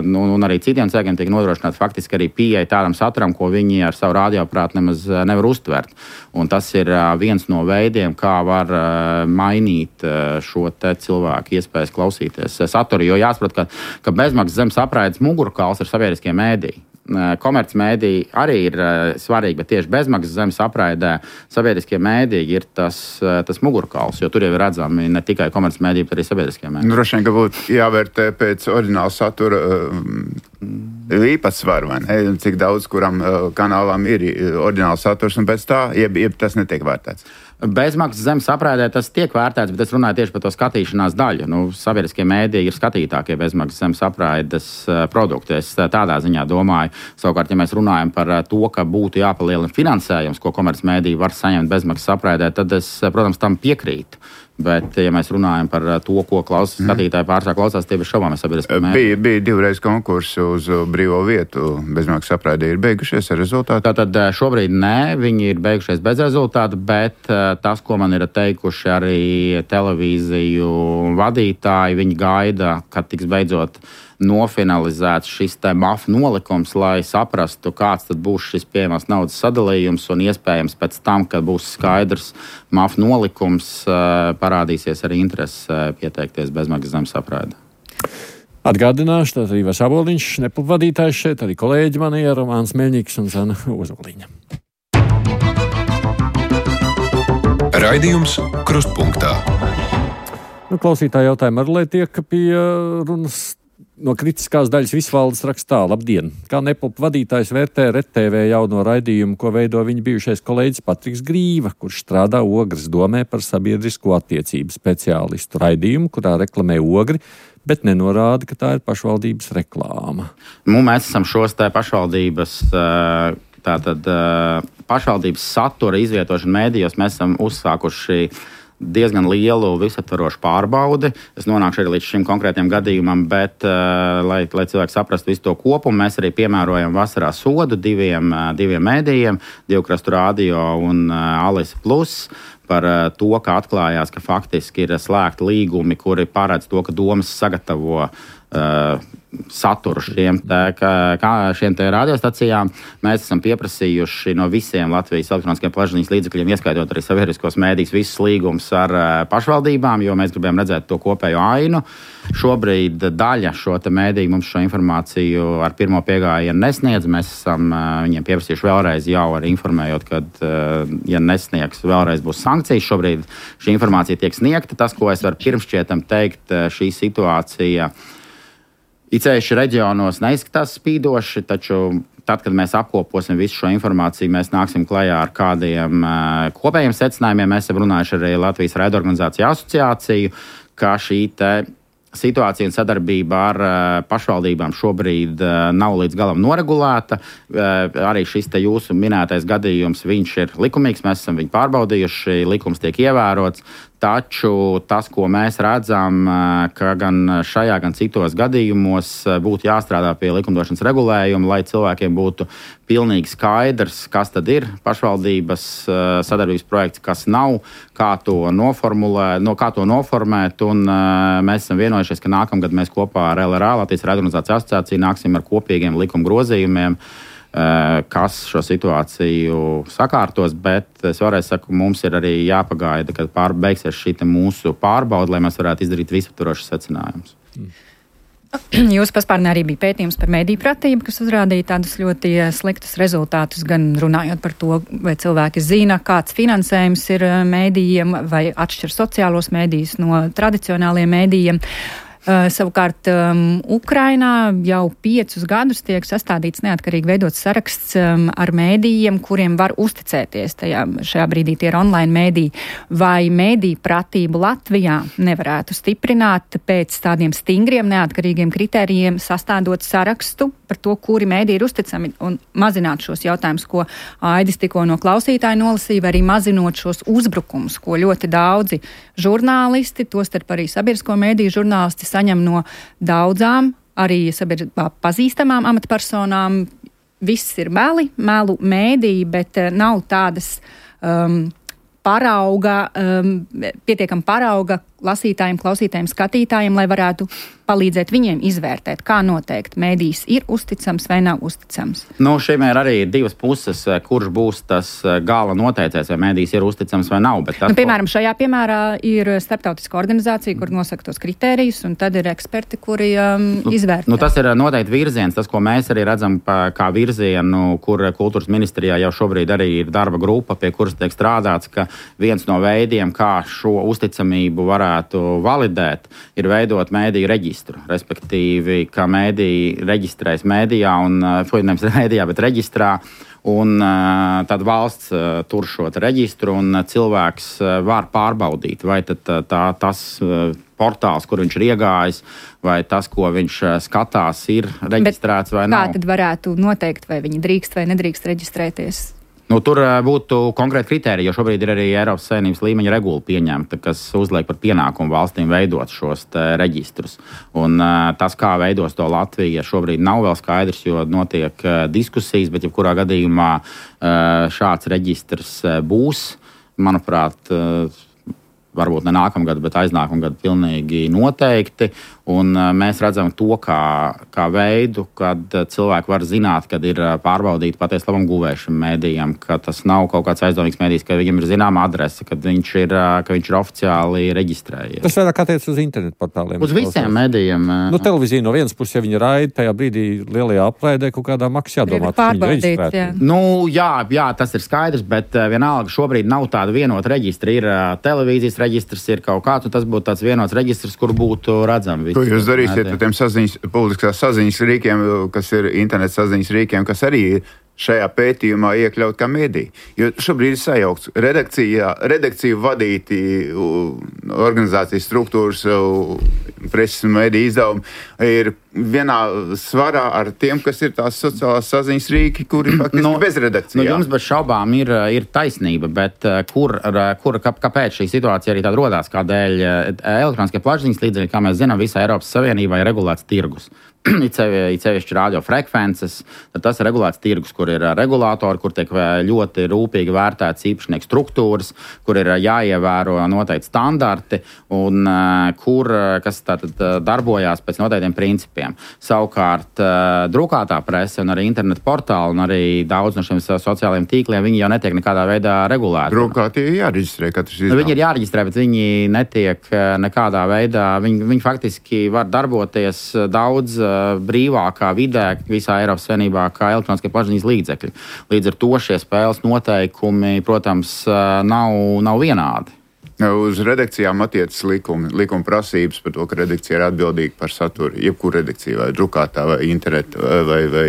nu, un arī citiem cilvēkiem tiek nodrošināta faktiski arī pieeja tādam saturam, ko viņi ar savu radioaparātu nemaz nevar uztvert. Un tas ir viens no veidiem, kā var mainīt šo te cilvēku iespējas klausīties saturu, jo jāsaprot, ka, ka bezmaksas zemes apraides mugurkauls ir sabiedriskie mēdīji. Komercmēdiji arī ir uh, svarīgi, bet tieši bezmaksas zemes apraidē sabiedriskie mēdīji ir tas, uh, tas mugurkauls, jo tur jau ir redzami ne tikai komercmēdiji, bet arī sabiedriskie mēdīji. Droši vien, ka būtu jāvērtē pēc oriģināla satura uh, īpatsvaru, vai ne? Cik daudz kuram uh, kanālām ir oriģināls saturs, un pēc tā, jeb, jeb tas netiek vērtēts. Bezmaksas zemes apraidē tas tiek vērtēts, bet es runāju tieši par to skatīšanās daļu. Nu, sabiedriskie mēdīji ir skatītākie bezmaksas zemes apraides uh, produkti. Es uh, tādā ziņā domāju. Savukārt, ja mēs runājam par uh, to, ka būtu jāpalielina finansējums, ko komercmēdīji var saņemt bezmaksas apraidē, tad es, uh, protams, tam piekrītu. Bet, ja mēs runājam par to, ko klausās skatītāji pārsvarā klausās, tie ir šaubāmi sabiedriskie mēdīji. Bija, bija divreiz konkursi uz brīvo vietu. Bezmaksas apraidē ir beigušies ar rezultātu? Tātad šobrīd nē, viņi ir beigušies bez rezultātu, bet tas, ko man ir teikuši arī televīziju vadītāji, viņi gaida, kad tiks beidzot nofinalizēts šis te M A F nolikums, lai saprastu, kāds tad būs šis pieejamās naudas sadalījums, un iespējams pēc tam, kad būs skaidrs M A F nolikums, parādīsies arī interese pieteikties bezmaksas zemes apraidē. Atgādināšu, tad Ivars Aboliņš, Neplup vadītājs šeit, arī kolēģi mani ir Romāns Meļņiks un Zana Ozoliņa. Raidījums Krustpunktā. Nu, klausītāji jautājumu ar, lai tiek pie runas. No kritiskās daļas visvaldes rakstā, labdien! Kā Neplup vadītājs vērtē R T V jauno raidījumu, ko veido viņa bijušais kolēģis Patriks Grīva, kurš strādā Ogres domē par sabiedrisko attiecību speciālistu raidījumu, kurā reklamē Ogri, bet nenorāda, ka tā ir pašvaldības reklāma. Nu, mēs esam šos te pašvaldības, tātad pašvaldības satura izvietošanu mēdījos, mēs esam uzsākuši diezgan lielu visaptvarošu pārbaudi. Es nonākšu arī līdz šim konkrētiem gadījumam, bet, uh, lai, lai cilvēki saprastu visu to kopumu, mēs arī piemērojam vasarā sodu diviem, uh, diviem mēdījiem, Divkrastu radio un uh, Alisa Plus, par uh, to, ka atklājās, ka faktiski ir slēgti līgumi, kuri paredz to, ka domas sagatavo uh, saturu šiem, tā, kā, šiem te radiostacijām. Mēs esam pieprasījuši no visiem Latvijas elektroniskiem plašsaziņas līdzekļiem, ieskaitot arī sabiedriskos mēdījus, visus līgumus ar uh, pašvaldībām, jo mēs gribējām redzēt to kopējo ainu. Šobrīd daļa šo te mēdīju mums šo informāciju ar pirmo piegājienu nesniedz. Mēs esam uh, viņiem pieprasījuši vēlreiz jau arī informējot, ka, uh, ja nesniegs, vēlreiz būs sankcijas. Šobrīd šī informācija tiek sniegta. Tas, ko es varu pirmšķietam teikt, uh, šī situācija it sevišķi reģionos neizskatās spīdoši, taču tad, kad mēs apkoposim visu šo informāciju, mēs nāksim klajā ar kādiem uh, kopējiem secinājumiem. Mēs esam runājuši arī Latvijas raidorganizāciju asociāciju, ka šī te situācija un sadarbība ar uh, pašvaldībām šobrīd uh, nav līdz galam noregulēta. Uh, arī šis te jūsu minētais gadījums, viņš ir likumīgs, mēs esam viņu pārbaudījuši, likums tiek ievērots. Taču tas, ko mēs redzam, ka gan šajā, gan citos gadījumos būtu jāstrādā pie likumdošanas regulējuma, lai cilvēkiem būtu pilnīgi skaidrs, kas tad ir pašvaldības sadarbības projekts, kas nav, kā to noformulēt, no kā to noformēt. Un mēs esam vienojušies, ka nākamgad mēs kopā ar L R A, Latvijas Radioorganizāciju asociāciju, nāksim ar kopīgiem likuma grozījumiem, kas šo situāciju sakārtos, bet es vēlreiz saku, mums ir arī jāpagaida, kad pār, beigsies šī mūsu pārbauda, lai mēs varētu izdarīt visaptvarošus secinājumus. Jūsu paspārnē arī bija pētījums par mediju pratību, kas uzrādīja tādus ļoti sliktus rezultātus, gan runājot par to, vai cilvēki zina, kāds finansējums ir mēdījiem, vai atšķir sociālos mēdījus no tradicionāliem mēdījiem. Uh, savukārt um, Ukrainā jau piecus gadus tiek sastādīts neatkarīgi veidots saraksts um, ar mēdījiem, kuriem var uzticēties. Tajā, šajā brīdī tie ir online mēdīji. Vai mēdīju pratību Latvijā nevarētu stiprināt pēc tādiem stingriem neatkarīgiem kritērijiem, sastādot sarakstu par to, kuri mēdīji ir uzticami, un mazināt šos jautājumus, ko Aidis tikko no klausītāja nolasīja, vai arī mazinot šos uzbrukumus, ko ļoti daudzi žurnālisti, tostarp arī sabiedrisko mēdīju žurnālisti, saņem no daudzām, arī sabiedrībā pazīstamām amatpersonām. Viss ir meli, melu mēdīji, bet nav tādas um, parauga, um, pietiekam parauga lasītājiem, klausītājiem, skatītājiem, lai varētu palīdzēt viņiem izvērtēt, kā noteikt, mēdījis ir uzticams vai nav uzticams. Nu, šiem ir arī divas puses, kurš būs tas gala noteicējs, vai mēdījis ir uzticams vai nav. Bet tas, nu, piemēram, šajā piemērā ir starptautiska organizācija, kur nosaka tos kritērijus, un tad ir eksperti, kuri um, nu, izvērtē. Nu, tas ir noteikti virziens, tas, ko mēs arī redzam pa, kā virzienu, kur kultūras ministrijā jau šobrīd arī ir darba grupa, pie kuras tiek strādāts, ka viens no veidiem, kā šo uzticamību varētu validēt, ir veidot mēdīju reģistru. Respektīvi, ka mēdīji reģistrēs mēdījā, un, nevis mēdījā, bet reģistrā, un tad valsts tur šo reģistru, un cilvēks var pārbaudīt, vai tad tā, tas portāls, kur viņš ir iegājis, vai tas, ko viņš skatās, ir reģistrēts vai nav. Kā tad varētu noteikt, vai viņi drīkst vai nedrīkst reģistrēties? Nu, tur būtu konkrēti kriteriji, jo šobrīd ir arī Eiropas Savienības līmeņa regula pieņemta, kas uzliek par pienākumu valstīm veidot šos reģistrus. Un uh, tas, kā veidos to Latvija, šobrīd nav vēl skaidrs, jo notiek uh, diskusijas, bet jebkurā gadījumā uh, šāds reģistrs uh, būs, manuprāt, uh, varbūt ne nākamgad, bet aiznākamgad pilnīgi noteikti. Un mēs redzam to kā, kā veidu, kad cilvēki var zināt, kad ir pārbaudīti patiesi labam guvējušam mēdījam, ka tas nav kaut kāds aizdomīgs mēdījis, ka viņam ir zināma adrese, kad viņš ir, ka viņš ir oficiāli reģistrējies. Tas vairāk attiec uz internetu portāliem. Uz visiem mēdījiem. Nu, televīzija no vienas puses, ja viņi raida, tajā brīdī lielajā apraidē kaut kādā maksā jādomā, ka viņi reģistrēti. Jā. Nu, jā, jā, tas ir skaidrs, bet vienalga šobrīd nav tāda vienota reģistra. Ir televīzijas reģistrs, ir kaut kāds, un tas būtu tāds vienots reģistrs, kur būtu redzami. Ko jūs darīsiet ar tiem saziņas, politiskās saziņas rīkiem, kas ir interneta saziņas rīkiem, kas arī ir šajā pētījumā iekļaut kā mēdī? Jo šobrīd ir sajaukts. Redakcijā, redakciju vadīti organizācijas struktūras, preses un mēdī izdevumi ir vienā svarā ar tiem, kas ir tās sociālās saziņas rīki, kuri faktiski no, bez redakcijā. Nu, jums bez šaubām ir, ir taisnība, bet kur, kur, kāpēc šī situācija arī tāda rodās, kādēļ elektroniskie plašsaziņas līdzekļi, kā mēs zinām, visā Eiropas Savienībā ir regulēts tirgus. It sevišķi radiofrekvences, tad tas ir regulēts tirgus, kur ir regulātori, kur tiek ļoti rūpīgi vērtēts īpašnieku struktūras, kur ir jāievēro noteikti standarti un kur, kas tātad darbojās pēc noteiktiem principiem. Savukārt drukātā prese un arī internetu portāli un arī daudz no šiem sociālajiem tīkliem, viņi jau netiek nekādā veidā regulēti. Drukātie ir jāreģistrē katrs izdevums. Viņi ir jāreģistrē, bet viņi netiek nekādā veidā, viņi, viņi faktiski var darboties daudz brīvākā vidē visā Eiropas Savienībā kā elektroniskie plašsaziņas līdzekļi. Līdz ar to šie spēles noteikumi, protams, nav, nav vienādi. Uz redakcijām attiecas likumi, likuma prasības par to, ka redakcija ir atbildīga par saturu, jebkura redakcija, vai drukātā, vai internetu, vai, vai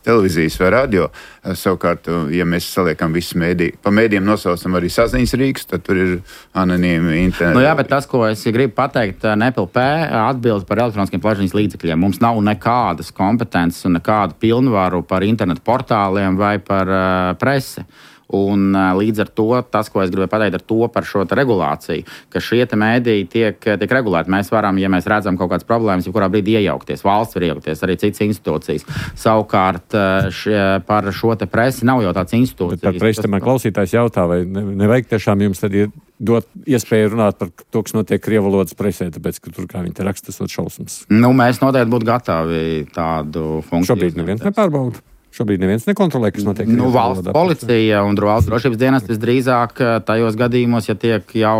televīzijas, vai radio. Savukārt, ja mēs saliekam visus mēdī, pa mēdījiem nosaucam arī saziņas rīks, tad tur ir anonīmi internetu. Nu jā, bet tas, ko es gribu pateikt, N P L P atbild par elektroniskiem plašsaziņas līdzekļiem. Mums nav nekādas kompetences un nekādu pilnvaru par internetu portāliem vai par uh, presi. Un līdz ar to tas, ko es gribēju pateikt ar to par šo regulāciju, ka šie mēdīji tiek, tiek regulēti. Mēs varam, ja mēs redzam kaut kādas problēmas, jebkurā brīdī iejaukties. Valsts var iejaukties, arī citas institūcijas. Savukārt šie, par šo te presi nav jau tāds institūcijas. Bet par presi man klausītājs jautā, vai ne, nevajag tiešām jums tad ir dot iespēju runāt par to, kas notiek krievu valodas presē, tāpēc, ka tur, kā viņi te raksta, tas ir šausmas. Nu, mēs noteikti būtu gatavi tādu funkciju. Šobrīd neviens nepārbauda. Šobrīd neviens nekontrolē, kas notiek. Nu, valsts policija un valsts drošības dienas visdrīzāk tajos gadījumos, ja tiek jau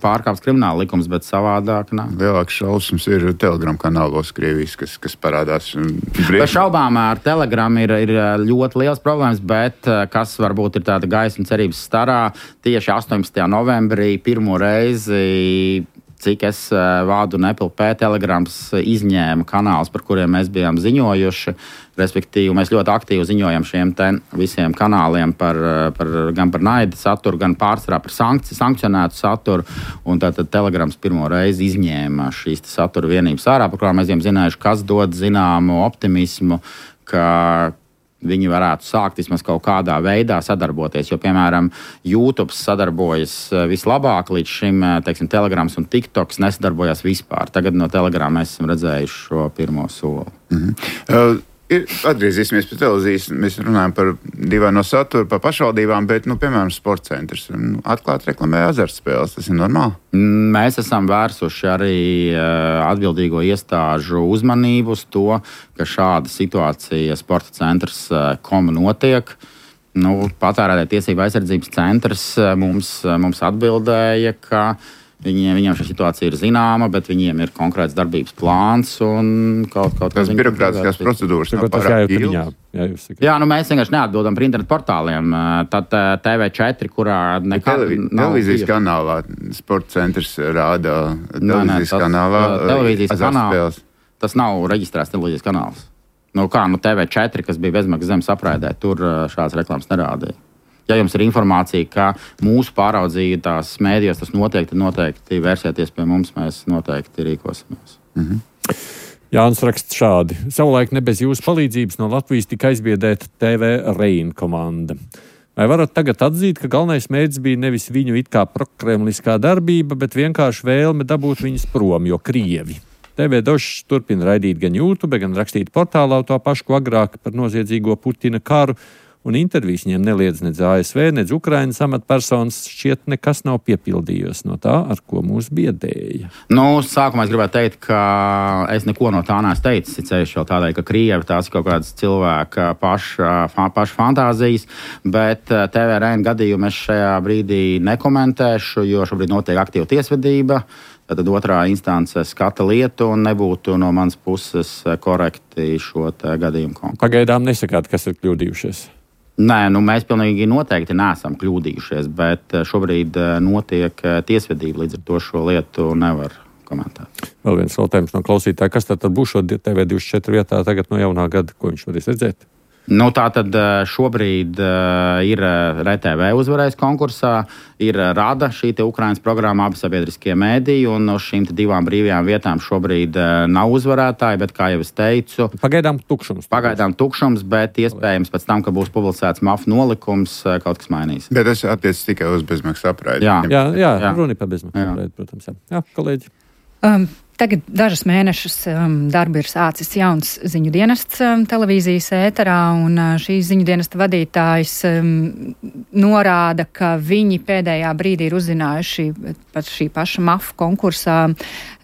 pārkāpts krimināla likums, bet savādāk nav. Lielāks šausmas ir Telegram kanālos Krievijas, kas, kas parādās. Bez šaubām ar Telegram ir, ir ļoti liels problēmas, bet kas varbūt ir tāda gaisma cerības starā, tieši astoņpadsmitajā novembrī pirmo reizi, cik es vādu un Apple P Telegrams izņēma kanālus, par kuriem mēs bijām ziņojuši. Respektīvi, mēs ļoti aktīvi ziņojam šiem te visiem kanāliem par, par, gan par naida saturu, gan pārsvarā par sankci, sankcionētu saturu. Un tātad Telegrams pirmo reizi izņēma šīs satura vienības ārā, par kurām mēs bijām zinājuši, kas dod zināmu optimismu, ka viņi varētu sākt vismaz kaut kādā veidā sadarboties. Jo, piemēram, YouTube sadarbojas vislabāk līdz šim, teiksim, Telegrams un TikToks nesadarbojās vispār. Tagad no Telegrama mēs esam redzējuši šo pirmo soli. Mm-hmm. Uh, ir, atgriezīsimies pie televīzijas. Mēs runājam par divaino saturu, par pašvaldībām, bet, nu, piemēram, sporta centrs nu, atklāt reklamē azartspēles. Tas ir normāli? Mēs esam vērsuši arī uh, atbildīgo iestāžu uzmanību uz to, ka šāda situācija sporta centrs uh, koma notiek. Nu, patērētāju tiesību aizsardzības centrs uh, mums, uh, mums atbildēja, ka Viņiem, viņiem šī situācija ir zināma, bet viņiem ir konkrēts darbības plāns un kaut, kaut kas tāds. Tas birokrātiskās procedūras nav pārāk ilgas. Jā, jā, nu mēs vienkārši neatbildam par internetu portāliem. Tad T V četri, kurā nekad Televi- nav... Televīzijas kanālā sporta centrs rāda televīzijas kanālā televīzijas azartspēles. Tas nav reģistrēts televīzijas kanāls. Nu kā, nu T V četri, kas bija bezmaksas zemes apraidē, tur šādas reklāmas nerādīja. Ja jums ir informācija, ka mūsu pāraudzītās mēdījos tas notiek, tad noteikti vērsieties pie mums, mēs noteikti rīkosimies. Mm-hmm. Jānis raksta šādi. Savulaik ne bez jūsu palīdzības no Latvijas tika aizbiedēta T V Reina komanda. Vai varat tagad atzīt, ka galvenais mērķis bija nevis viņu it kā prokremliskā darbība, bet vienkārši vēlme dabūt viņus prom, jo Krievi? T V Došs turpina raidīt gan YouTube, gan rakstīt portālā to pašu, ko agrāk par noziedzīgo Putina karu, un intervijas viņiem neliedz nedz A S V, nedz Ukrainas amatpersonas, šķiet nekas nav piepildījies no tā, ar ko mūs biedēja. Nu, sākumā es gribētu teikt, ka es neko no tā neesmu teicis, it sevišķi jau tādēļ, ka Krievi tās ir kaut kādas cilvēka paša, paša fantāzijas, bet T V Reina gadījumu es šajā brīdī nekomentēšu, jo šobrīd notiek aktīva tiesvedība. Tad otrā instance skata lietu un nebūtu no manas puses korekti šo gadījumu konkrēti. Pagaidām nesakāt, kas ir kļūdījušies? Nē, nu mēs pilnīgi noteikti neesam kļūdījušies, bet šobrīd notiek tiesvedība, līdz ar to šo lietu nevar komentēt. Vēl viens jautājums no klausītāja. Kas tad būs šo T V divdesmit četri vietā tagad no jaunā gada, ko viņš varēs redzēt? Nu, tā tad šobrīd ir R T V uzvarējis konkursā, ir Rada, šī te Ukrainas programma, abi sabiedriskie mēdīji, un no šīm te divām brīvajām vietām šobrīd nav uzvarētāji, bet, kā jau es teicu, Pagaidām tukšums. Pagaidām tukšums, bet iespējams pēc tam, ka būs publicēts M A F nolikums, kaut kas mainīs. Bet tas attiecas tikai uz bezmaksas apraidi. Jā, jā, jā, jā. Runa par bezmaksas apraidi, protams. Jā, jā kolēģi. Um. Tagad dažus mēnešus um, darbu ir sācis jauns ziņu dienests um, televīzijas ēterā, un uh, šīs ziņu dienesta vadītājs um, norāda, ka viņi pēdējā brīdī ir uzzinājuši par šī paša M A F konkursā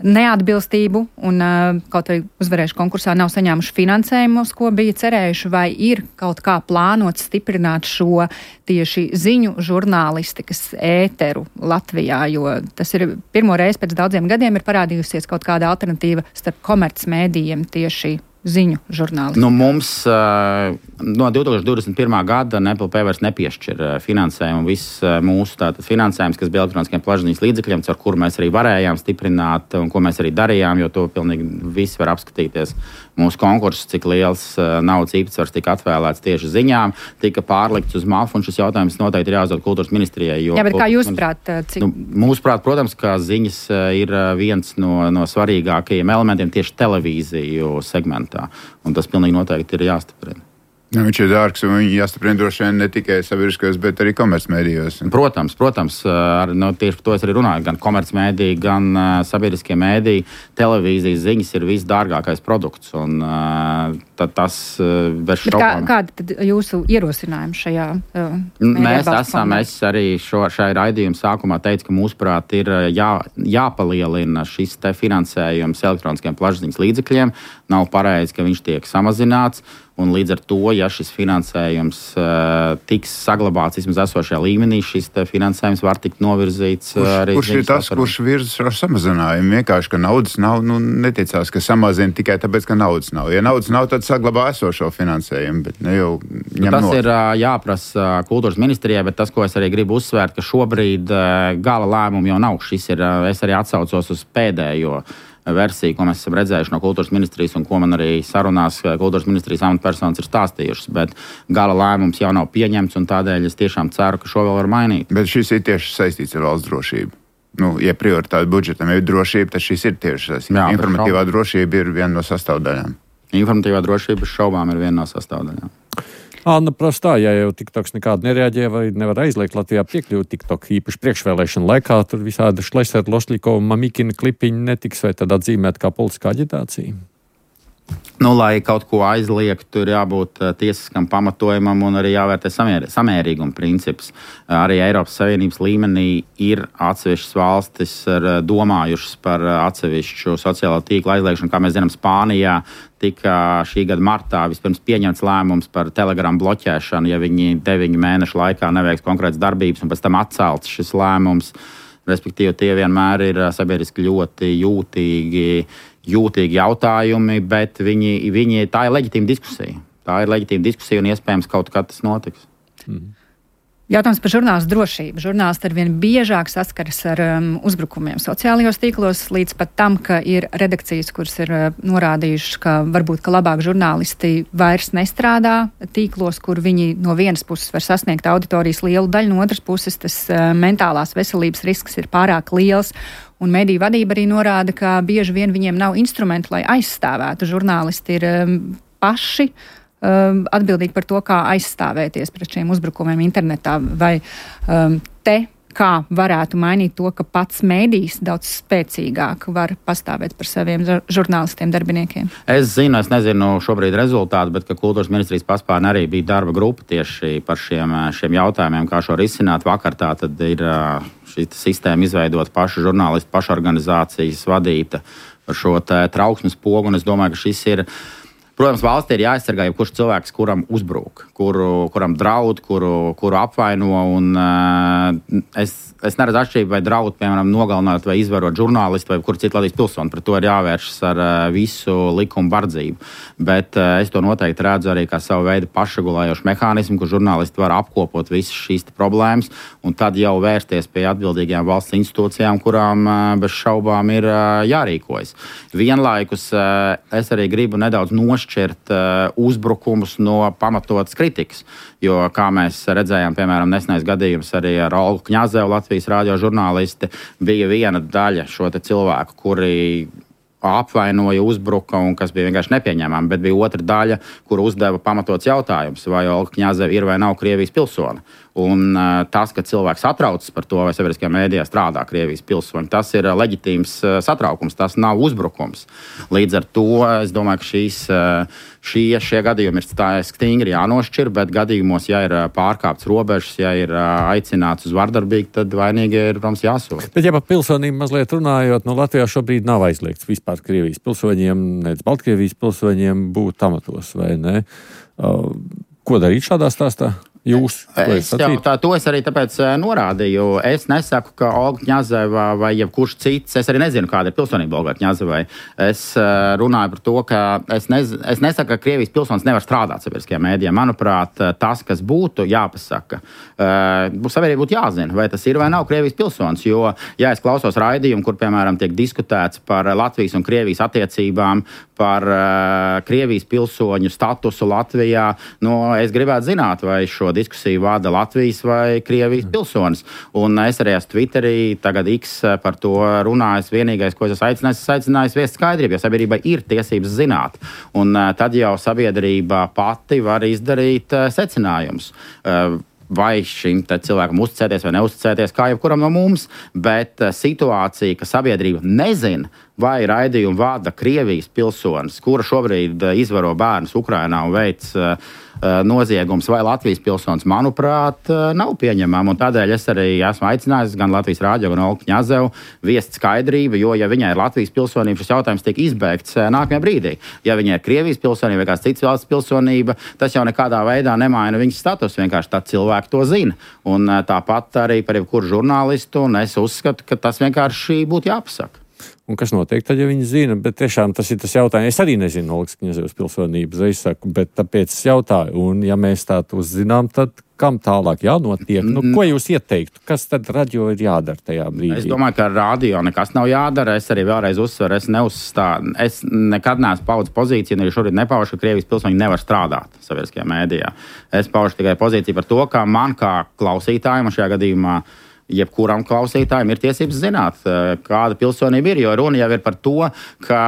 neatbilstību, un uh, kaut vai uzvarējuši konkursā nav saņēmuši finansējumus, ko bija cerējuši, vai ir kaut kā plānots stiprināt šo tieši ziņu žurnālistikas ēteru Latvijā, jo tas ir pirmo reizi pēc daudziem gadiem ir parādījusies kaut kāda alternatīva starp komercmēdījiem tieši ziņu žurnālisti. Nu, mums uh, no divi tūkstoši divdesmit pirmā gada N P L P vairs nepiešķir uh, finansējumu. Viss uh, mūsu tātad finansējums, kas bija elektroniskiem plašsaziņas līdzekļiem, ar kuru mēs arī varējām stiprināt un ko mēs arī darījām, jo to pilnīgi visi var apskatīties. Mūsu konkurss, cik liels uh, naudas īpatsvars tika atvēlēts tieši ziņām, tika pārlikts uz M A F, un šis jautājums noteikti ir jāuzdod kultūras ministrijai. Jo, Jā, bet kā jūs prāt? Cik... Nu, mūsuprāt, protams, ka ziņas uh, ir viens no, no svarīgākajiem elementiem tieši televīziju segmentā. Un tas pilnīgi noteikti ir jāstiprina. Nu, viņš ir dārgs, un viņi jāstiprina droši vien ne tikai sabiedriskajos, bet arī komercmedijos. Protams, protams, ar, nu, tieši par to es arī runāju. Gan komercmediji, gan uh, sabiedriskie mediji, televīzijas ziņas ir visdārgākais produkts. Un, uh, tad tas uh, bez šaubām. Kā, kāda tad jūsu ierosinājuma šajā uh, Mēs esam, es arī šo, šai raidījuma sākumā teicu, ka mūsuprāt ir jā, jāpalielina šis te finansējums elektroniskiem plašsaziņas līdzekļiem. Nav pareizi, ka viņš tiek samazināts. Un līdz ar to, ja šis finansējums uh, tiks saglabāts vismaz esošajā līmenī, šis finansējums var tikt novirzīts kurš, arī. Kurš ir tas, par... kurš virza ar samazinājumu? Vienkārši, ka naudas nav, nu neticās, ka samazina tikai tāpēc, ka naudas nav. Ja naudas nav, tad saglabā esošo finansējumu, bet ne jau ņem tas no. ir uh, jāprasa kultūras ministrijai, bet tas, ko es arī gribu uzsvērt, ka šobrīd uh, gala lēmumu jau nav. Šis ir, uh, es arī atsaucos uz pēdējo versiju, ko mēs esam redzējuši no kultūras ministrijas un ko man arī sarunās kultūras ministrijas amatpersonas ir stāstījušas, bet gala lēmums jau nav pieņemts un tādēļ es tiešām ceru, ka šo vēl var mainīt. Bet šis ir tieši saistīts ar valsts drošību. Nu, ja prioritāte budžetam ir drošība, tad šis ir tieši saistīts. Informatīvā drošība ir viena no sastāvdaļām. Informatīvā drošība bez šaubām ir viena no sastāvdaļām. Anna prastā, ja jau TikToks nekādu nereaģē vai nevar aizliegt Latvijā piekļūt TikTok īpaši priekšvēlēšana laikā, tur visādi Šlesera, Lošļikova, Mamikina klipiņi netiks vai tad atzīmēt kā politiskā aģitācija? Nu, lai kaut ko aizliegtu, ir jābūt tiesiskam pamatojumam un arī jāvērtē samēr, samērīguma princips. Arī Eiropas Savienības līmenī ir atsevišķas valstis domājušas par atsevišķu sociālo tīklu aizliegšanu. Kā mēs zinām, Spānijā tika šī gada martā vispirms pieņemts lēmums par Telegram bloķēšanu, ja viņi deviņu mēnešu laikā neveiks konkrētas darbības, un pēc tam atcelts šis lēmums. Respektīvi, tie vienmēr ir sabiedriski ļoti jūtīgi, jūtīgi jautājumi, bet viņi, viņi, tā ir leģitīma diskusija. Tā ir leģitīma diskusija un iespējams kaut kad tas notiks. Mm. Jautājums par žurnālistu drošību. Žurnālisti arvien biežāk saskaras ar um, uzbrukumiem sociālajos tīklos, līdz pat tam, ka ir redakcijas, kuras ir uh, norādījušas, ka varbūt ka labāk žurnālisti vairs nestrādā tīklos, kur viņi no vienas puses var sasniegt auditorijas lielu daļu, no otras puses tas uh, mentālās veselības risks ir pārāk liels. Un mediju vadība arī norāda, ka bieži vien viņiem nav instrumentu, lai aizstāvētu. Žurnālisti ir um, paši Um, atbildīgi par to, kā aizstāvēties pret šiem uzbrukumiem internetā, vai um, te kā varētu mainīt to, ka pats mēdījis daudz spēcīgāk var pastāvēt par saviem žurnālistiem, darbiniekiem? Es zinu, es nezinu šobrīd rezultātu, bet ka kultūras ministrijas paspārnē arī bija darba grupa tieši par šiem, šiem jautājumiem, kā šo risināt. Vakar tā tad ir šī sistēma izveidot pašu žurnālistu, pašu organizācijas vadīta par šo trauksmes pogu, un es domāju, ka šis ir. Protams, valstī ir jāaizsargā jebkurš cilvēks, kuram uzbrūk, kuru, kuram draud, kuru, kuru apvaino. Un, uh, es, es neredzu atšķirību, vai draud, piemēram, nogalināt vai izvarot žurnālistu vai kur citu Latvijas pilsoni. Par to ir jāvēršas ar uh, visu likumu bardzību. Bet uh, es to noteikti redzu arī kā savu veidu pašregulējošu mehānismu, kur žurnālisti var apkopot visas šīs problēmas un tad jau vērsties pie atbildīgajām valsts institūcijām, kurām uh, bez šaubām ir uh, jārīkojas. Vienlaikus uh, es arī gribu nedaudz nošķirt šķirt uh, uzbrukumus no pamatotas kritikas. Jo, kā mēs redzējām, piemēram, nesenais gadījums arī ar Olgu Kņazevu, Latvijas radio žurnālisti, bija viena daļa šo te cilvēku, kuri apvainoja, uzbruka un kas bija vienkārši nepieņemami, bet bija otra daļa, kur uzdeva pamatots jautājums, vai Olga Kņazeva ir vai nav Krievijas pilsone. Un uh, tas, ka cilvēks satraucas par to, vai sabiedriskajā mēdījā strādā Krievijas pilsoņi, tas ir uh, leģitīms uh, satraukums, tas nav uzbrukums. Līdz ar to es domāju, ka šīs, uh, šie, šie gadījumi ir stingri jānošķir, bet gadījumos, ja ir uh, pārkāpts robežas, ja ir uh, aicināts uz vardarbību, tad vainīgi ir, protams, jāsoda. Bet, ja par pilsonību mazliet runājot, no Latvijā šobrīd nav aizliegts vispār Krievijas pilsoņiem, nec Baltkrievijas pilsoņiem būt amatos, vai ne? Uh, ko darīt šādā stāstā? Jūs, es jau tā, to es arī tāpēc norādīju. Es nesaku, ka Olga Kņazeva vai jebkurš cits, es arī nezinu, kāda ir pilsonība Olgai Kņazevai. Es runāju par to, ka es, nez, es nesaku, ka Krievijas pilsonis nevar strādāt sabiedriskajā mēdījā. Manuprāt, tas, kas būtu jāpasaka, sabiedrībai būtu jāzina, vai tas ir vai nav Krievijas pilsonis. Jo, ja es klausos raidījumu, kur, piemēram, tiek diskutēts par Latvijas un Krievijas attiecībām, par Krievijas pilsoņu statusu Latvijā, nu, es gribētu zināt, vai šo diskusiju vada Latvijas vai Krievijas pilsonis. Un es arī esmu Twitterī, tagad X par to runājis. Vienīgais, ko es esmu aicinājis, es aicinājis viest skaidrību, jo sabiedrībai ir tiesības zināt. Un tad jau sabiedrība pati var izdarīt secinājumus. Vai šim cilvēkam uzticēties vai neuzticēties, kā jebkuram no mums, bet situācija, ka sabiedrība nezina, vai raidījumu vada Krievijas pilsonis, kura šobrīd izvaro bērnus Ukrainā un veic uh, noziegums, vai Latvijas pilsonis, manuprāt, uh, nav pieņemama. Un tādēļ es arī esmu aicinājis gan Latvijas rādio, gan Olgu Kņazevu viest skaidrību, jo, ja viņai ir Latvijas pilsonība, šis jautājums tiek izbeigts uh, nākamajā brīdī. Ja viņai ir Krievijas pilsonība vai kāds cits valsts pilsonība, tas jau nekādā veidā nemaina viņas status, vienkārši tā cilvēki to zina. Un uh, tāpat arī par jebkuru žurnālistu, un es uzskatu, ka tas vienkārši būtu jāpasaka. Un kas notiek tad, ja viņi zina? Bet tiešām tas ir tas jautājums. Es arī nezinu Olgas Kņazevas pilsonības, es saku, bet tāpēc es jautāju. Un ja mēs tā to zinām, tad kam tālāk jānotiek? Nu, ko jūs ieteiktu? Kas tad radio ir jādara tajā brīdī? Es domāju, ka radio nekas nav jādara. Es arī vēlreiz uzsveru, es neuzstādu. Es nekad neesmu paudis pozīciju, un arī šorīt nepaužu, ka Krievijas pilsoņi nevar strādāt sabiedriskajā mēdījā. Es paužu tikai pozīciju par to, ka man kā klausītājiem šajā gadījumā jebkuram klausītājam ir tiesības zināt, kāda pilsonība ir, jo runa jau ir par to, ka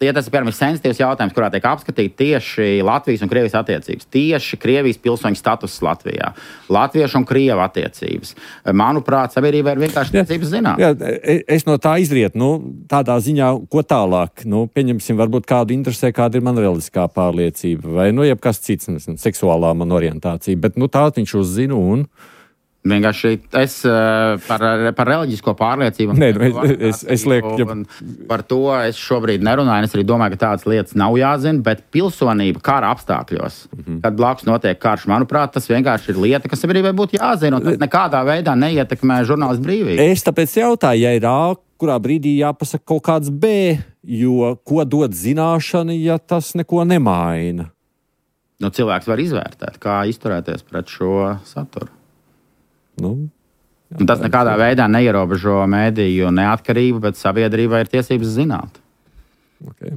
ja tas ir, piemēram, sensitīvs jautājums, kurā tiek apskatīt tieši Latvijas un Krievijas attiecības, tieši Krievijas pilsoņu status Latvijā, latviešu un krievu attiecības. Manuprāt, sabiedrībai ir vienkārši tiesības zināt. Jā, es no tā izrietu, nu, tādā ziņā, ko tālāk, nu, pieņemsim, varbūt kādu interesē, kāda ir man reliģiskā pārliecība, vai, nu, jebkas cits, nezinu, seksuālā man orientācija, bet, nu, tā viņš uzzina un... Vienkārši es par, par reliģisko pārliecību. Nē, es, es, es lieku, ja... Par to es šobrīd nerunāju. Es arī domāju, ka tādas lietas nav jāzina, bet pilsonība kara apstākļos, mm-hmm. kad blakus notiek karš, manuprāt, tas vienkārši ir lieta, kas sabiedrībai būtu jāzina, un tas nekādā veidā neietekmē žurnālistu brīvību. Es tāpēc jautāju, ja ir A, kurā brīdī jāpasaka kaut kāds B, jo ko dod zināšana, ja tas neko nemaina? Nu, cilvēks var izvērtēt, kā izturēties pret šo saturu. Nu, jā, tas nekādā veidā neierobežo mēdīju neatkarību, bet sabiedrībai ir tiesības zināt. Okay.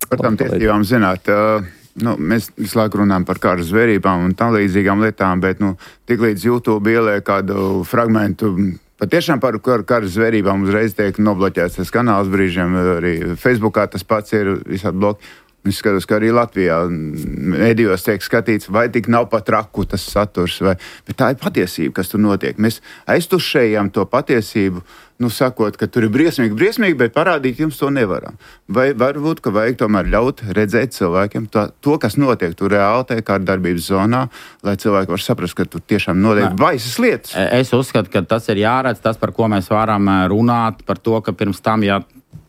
Par tām tiesībām zināt, uh, nu, mēs visu laiku runājam par kara zvērībām un tam līdzīgām lietām, bet nu, tik līdz YouTube ieliek kādu fragmentu patiešām par kara zvērībām uzreiz tiek nobloķēts tas kanāls brīžiem, arī Facebookā tas pats ir visādi bloki. Es skatos, ka arī Latvijā mēdījos tiek skatīts, vai tik nav pat traku tas saturs, vai, bet tā ir patiesība, kas tur notiek. Mēs aiztušējam to patiesību, nu sakot, ka tur ir briesmīgi, briesmīgi, bet parādīt jums to nevaram. Vai varbūt, ka vajag tomēr ļaut redzēt cilvēkiem to, to kas notiek tur reāli tajā kāda darbības zonā, lai cilvēki var saprast, ka tur tiešām notiek baisas lietas. Es uzskatu, ka tas ir jāredz, tas, par ko mēs varam runāt, par to, ka pirms tam, ja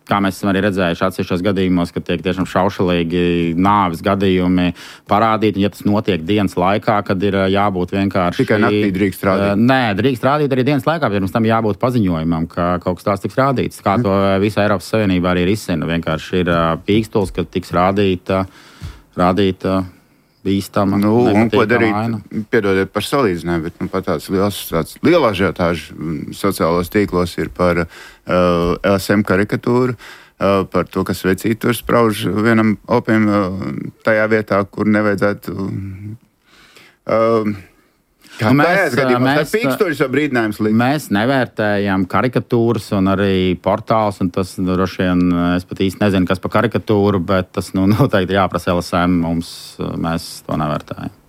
kā mēs esam arī redzējuši atsevišķos gadījumos, ka tiek tiešām šaušalīgi nāves gadījumi parādīti, un ja tas notiek dienas laikā, kad ir jābūt vienkārši... Tikai naktī drīkst rādīt? Nē, drīkst rādīt arī dienas laikā, bet pirms tam jābūt paziņojumam, ka kaut kas tās tiks rādīts. Kā to visā Eiropas Savienībā arī risina. Vienkārši ir pīkstuls, ka tiks rādīta, rādīta bīstama. Nu, un ko darīt, piedodiet par salīdzinājumu, bet nu, pat tāds liels, tāds liela ažiotāža sociālos tīklos ir par uh, L S M karikatūru, uh, par to, kas vecīt tur sprauž vienam opiem uh, tajā vietā, kur nevajadzētu... Uh, Kā nu, mēs, mēs, pīkstoļus vai brīdinājums likt? Mēs nevērtējam karikatūras un arī portāls, un tas droši vien, es pat īsti nezinu, kas par karikatūru, bet tas nu, noteikti jāprasa L S M, mums, mēs to nevērtējam.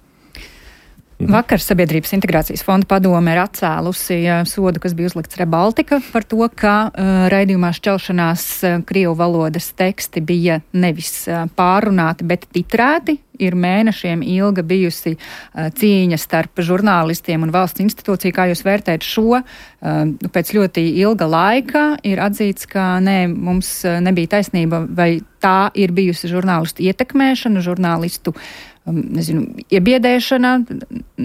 Vakar Sabiedrības integrācijas fonda padome ir atcēlusi sodu, kas bija uzlikts Rebaltika par to, ka uh, raidījumā šķelšanās uh, krievu valodas teksti bija nevis uh, pārrunāti, bet titrēti. Ir mēnešiem ilga bijusi uh, cīņa starp žurnālistiem un valsts institūciju. Kā jūs vērtējat šo? Uh, pēc ļoti ilga laika ir atzīts, ka nē, mums nebija taisnība, vai tā ir bijusi žurnālistu ietekmēšana, žurnālistu nezinu, iebiedēšana,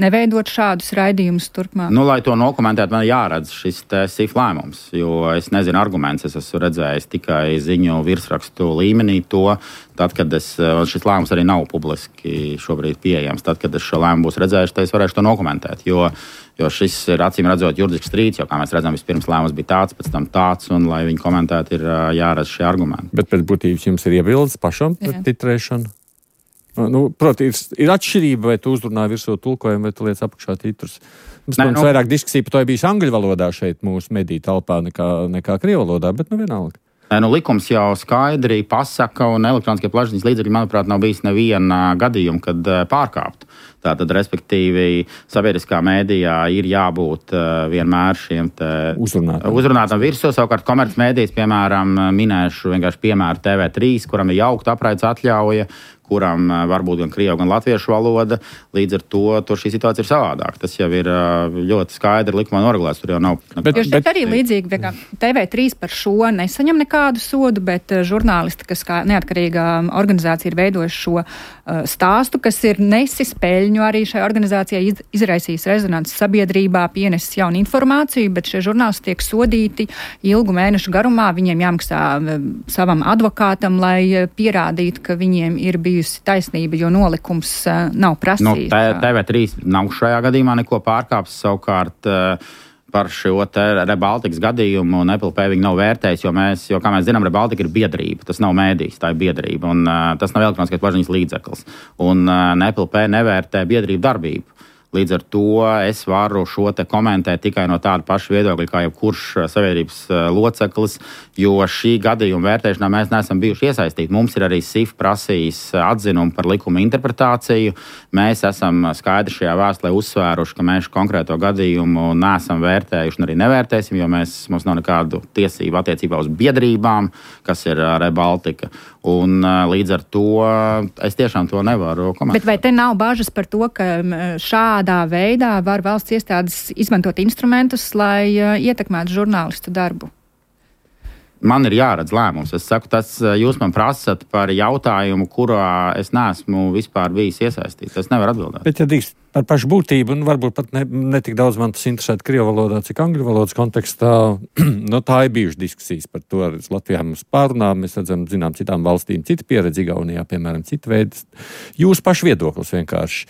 neveidot šādus raidījumus turpmāk? Nu, lai to nokomentētu, man jāredz šis S I F lēmums, jo es nezinu arguments, es esmu redzējis tikai ziņu virsrakstu līmenī to, tad, kad es, šis lēmums arī nav publiski šobrīd pieejams, tad, kad es šo lēmumu būs redzējuši, tad es varēšu to nokomentēt, jo, jo šis ir acīm redzot juridisks strīds, jo, kā mēs redzam, vispirms lēmums bija tāds, pēc tam tāds, un, lai viņi komentētu, ir jāredz šie argumenti. Bet pēc būtības jums ir iebildes pašam par titrēšanu? Nu, protams, ir, ir atšķirība, vai tu uzrunā virsū tulkojumu, vai tu liec apakšā titrus. Mums, Nē, protams, nu... vairāk diskusija par to bijis angļu valodā šeit mūsu mediju telpā nekā, nekā krievu valodā, bet nu vienalga. Nu, likums jau skaidri pasaka, un elektroniskie plašsaziņas līdzekļi, manuprāt, nav bijis neviena gadījuma, kad pārkāptu. Tātad, respektīvi, sabiedriskā mēdījā ir jābūt uh, vienmēr šiem uzrunātam. uzrunātam virsū. Savukārt, komercmēdijas, piemēram, minēšu vienkārši piemēru T V trīs, kuram ir jaukta apraides atļauja, kuram uh, varbūt gan krievu, gan latviešu valoda. Līdz ar to, to šī situācija ir savādāka. Tas jau ir uh, ļoti skaidri likumā noregulēts. Tur jau nav. Bet, jo šeit arī līdzīgi, ka T V trīs par šo nesaņem nekādu sodu, bet uh, žurnālisti, kas kā neatkarīgā organizācija ir veidojuši šo uh, stāstu, kas ir nesis peļņu arī šai organizācijai iz, izraisījis rezonances sabiedrībā, pienesis jaunu informāciju, bet šie žurnālisti tiek sodīti ilgu mēnešu garumā. Viņiem jāmaksā uh, savam advokātam, lai uh, pierādītu, ka viņiem ir bijusi taisnība, jo nolikums uh, nav prasījis. Nu, T V trīs nav šajā gadījumā neko pārkāpis, savukārt uh, par šo Rebaltikas gadījumu Apple Pay viņi nav vērtējis, jo mēs, jo, kā mēs zinām, Rebaltika ir biedrība, tas nav mēdījis, tā ir biedrība, un uh, tas nav elektroniskais plašsaziņas līdzeklis. Un uh, Apple Pay nevērtē biedrību darbību. Līdz ar to es varu šo te komentēt tikai no tāda paša viedokļa, kā jebkurš sabiedrības loceklis, jo šī gadījuma vērtēšanā mēs neesam bijuši iesaistīti. Mums ir arī S I F prasījis atzinumu par likuma interpretāciju. Mēs esam skaidri šajā vēstulē uzsvēruši, ka mēs konkrēto gadījumu neesam vērtējuši un arī nevērtēsim, jo mēs, mums nav nekādu tiesību attiecībā uz biedrībām, kas ir Rebaltika. Un līdz ar to es tiešām to nevaru komentēt. Bet vai te nav bažas par to, ka šādā veidā var valsts iestādes izmantot instrumentus, lai uh, ietekmētu žurnālistu darbu? Man ir jāredz lēmums. Es saku, tas jūs man prasat par jautājumu, kurā es neesmu vispār bijis iesaistīts. Es nevaru atbildēt. Bet, ja drīkst par pašu būtību, un varbūt pat ne, ne tik daudz man tas interesētu krievu valodā, cik angļu valodas kontekstā, no tā ir bijušas diskusijas par to. Latvijā mums pārunā, mēs redzam, zinām, citām valstīm cita pieredze, Igaunijā, piemēram, cita veida. Jūsu pašu viedoklis vienkārši.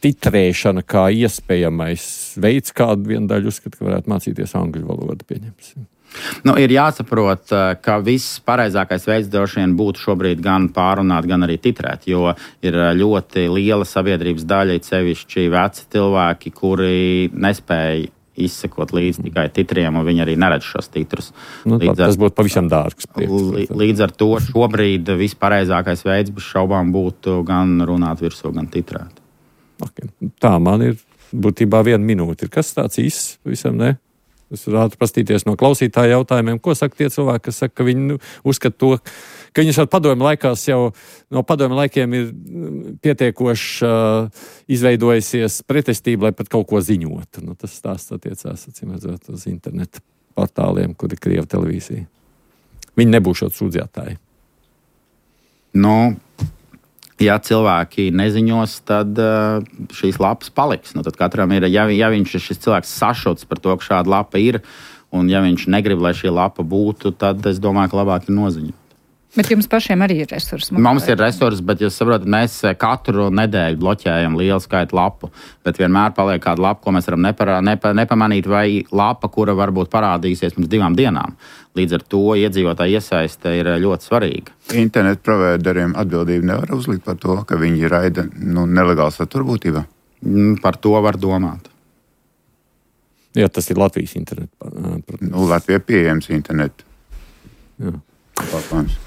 Titrēšana kā iespējamais veids, kādu vienu daļu uzskat, ka varētu mācīties angļu valodu, pieņemsim. Nu, ir jāsaprot, ka viss pareizākais veids droši vien būtu šobrīd gan pārunāt, gan arī titrēt, jo ir ļoti liela sabiedrības daļa, sevišķi veci cilvēki, kuri nespēja izsekot līdz tikai titriem, un viņi arī neredz šos titrus. Nu, tā, ar, tas būtu pavisam dārgs. Prieks, līdz ar to šobrīd viss pareizākais veids bez šaubām būtu gan runāt virsū, gan titrēt. Okay. Tā man ir būtībā viena minūte. Ir kas tāds īsts? Visam ne? Es varētu pastīties no klausītāja jautājumiem, ko saka tie cilvēki, kas saka, ka viņi nu, uzskata to, ka viņus ar padomju laikās jau no padomju laikiem ir pietiekoši uh, izveidojusies pretestība, lai pat kaut ko ziņotu. Nu, tas stāsts attiecās, acīm redzot, uz internetu portāliem, kur ir Krieva televīzija. Viņi nebūšot sūdzētāji. Nu... Ja cilvēki neziņos, tad uh, šīs lapas paliks. Nu, tad katram ir, ja, ja viņš šis cilvēks sašuts par to, ka šāda lapa ir, un ja viņš negrib, lai šī lapa būtu, tad es domāju, ka labāk ir noziņot. Bet jums pašiem arī ir resursi? Mums ir resursi, bet jūs saprotat, mēs katru nedēļu bloķējam lielu skaitu lapu, bet vienmēr paliek kāda lapa, ko mēs varam nepara, nepa, nepamanīt, vai lapa, kura varbūt parādīsies pirms divām dienām. Līdz ar to iedzīvotāja iesaiste ir ļoti svarīga. Internetu provideriem atbildību nevar uzlikt par to, ka viņi raida nu, nelegālu saturu būtībā? Par to var domāt. Jā, tas ir Latvijas internetu. Nu, Latvijā pieejams internetu. Jā. Pārpāns.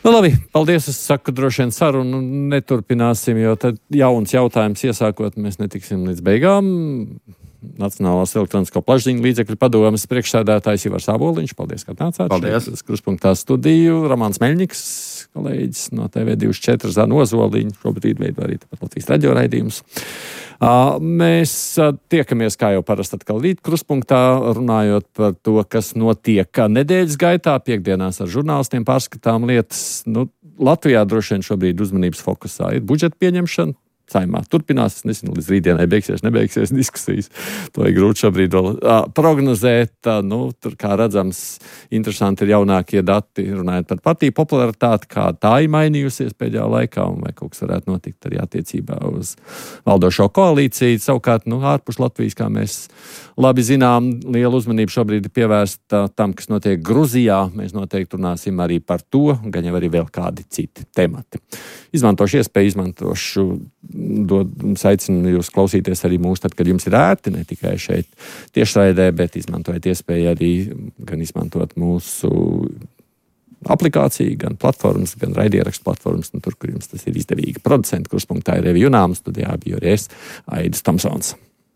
Nu, labi, paldies. Es saku, droši vien sarunu neturpināsim, jo tad jauns jautājums iesākot, mēs netiksim līdz beigām. Nacionālās elektronisko plašsaziņu līdzekļu padomes priekšsēdētājs Ivars Āboliņš. Paldies, ka atnācāt. Paldies. Šeit, Kruspunktā studiju. Ramāns Meļņiks, kolēģis no T V divdesmit četri, Zana Ozoliņa. Šobrīd veido arī tāpat Latvijas radio raidījumus. Uh, mēs uh, tiekamies, kā jau parasti atkal rīt Kruspunktā, runājot par to, kas notiek nedēļas gaitā, piekdienās ar žurnālistiem, pārskatām lietas. Nu, Latvijā droši vien šobrīd uzmanības fokusā ir budžeta pieņemšana. Saimā turpinās. Es nezinu, līdz rītdienai beigsies, nebeigsies diskusijas. To ir grūti šobrīd vēl uh, prognozēt. Uh, nu, tur, kā redzams, interesanti ir jaunākie dati, runājot par partiju popularitāti, kā tā ir mainījusies pēdējā laikā, un vai kaut kas varētu notikt arī attiecībā uz valdošo koalīciju. Savukārt, nu, ārpus Latvijas, kā mēs labi zinām, liela uzmanība šobrīd ir pievērsta tam, kas notiek Gruzijā. Mēs noteikti runāsim arī par to, gan jau arī vēl kādi citi temati. Izmantošu iespēju, izmantošu Dod, aicinu jūs klausīties arī mūs, tad, kad jums ir ērti, ne tikai šeit tiešraidē, bet izmantojiet iespēju arī gan izmantot mūsu aplikāciju, gan platformas, gan raidierakstu platformas, un tur, kur jums tas ir izdevīgi. Producenti Krustpunktā ir Revi Junāms, studijā bija arī es, Aidis Tomsons.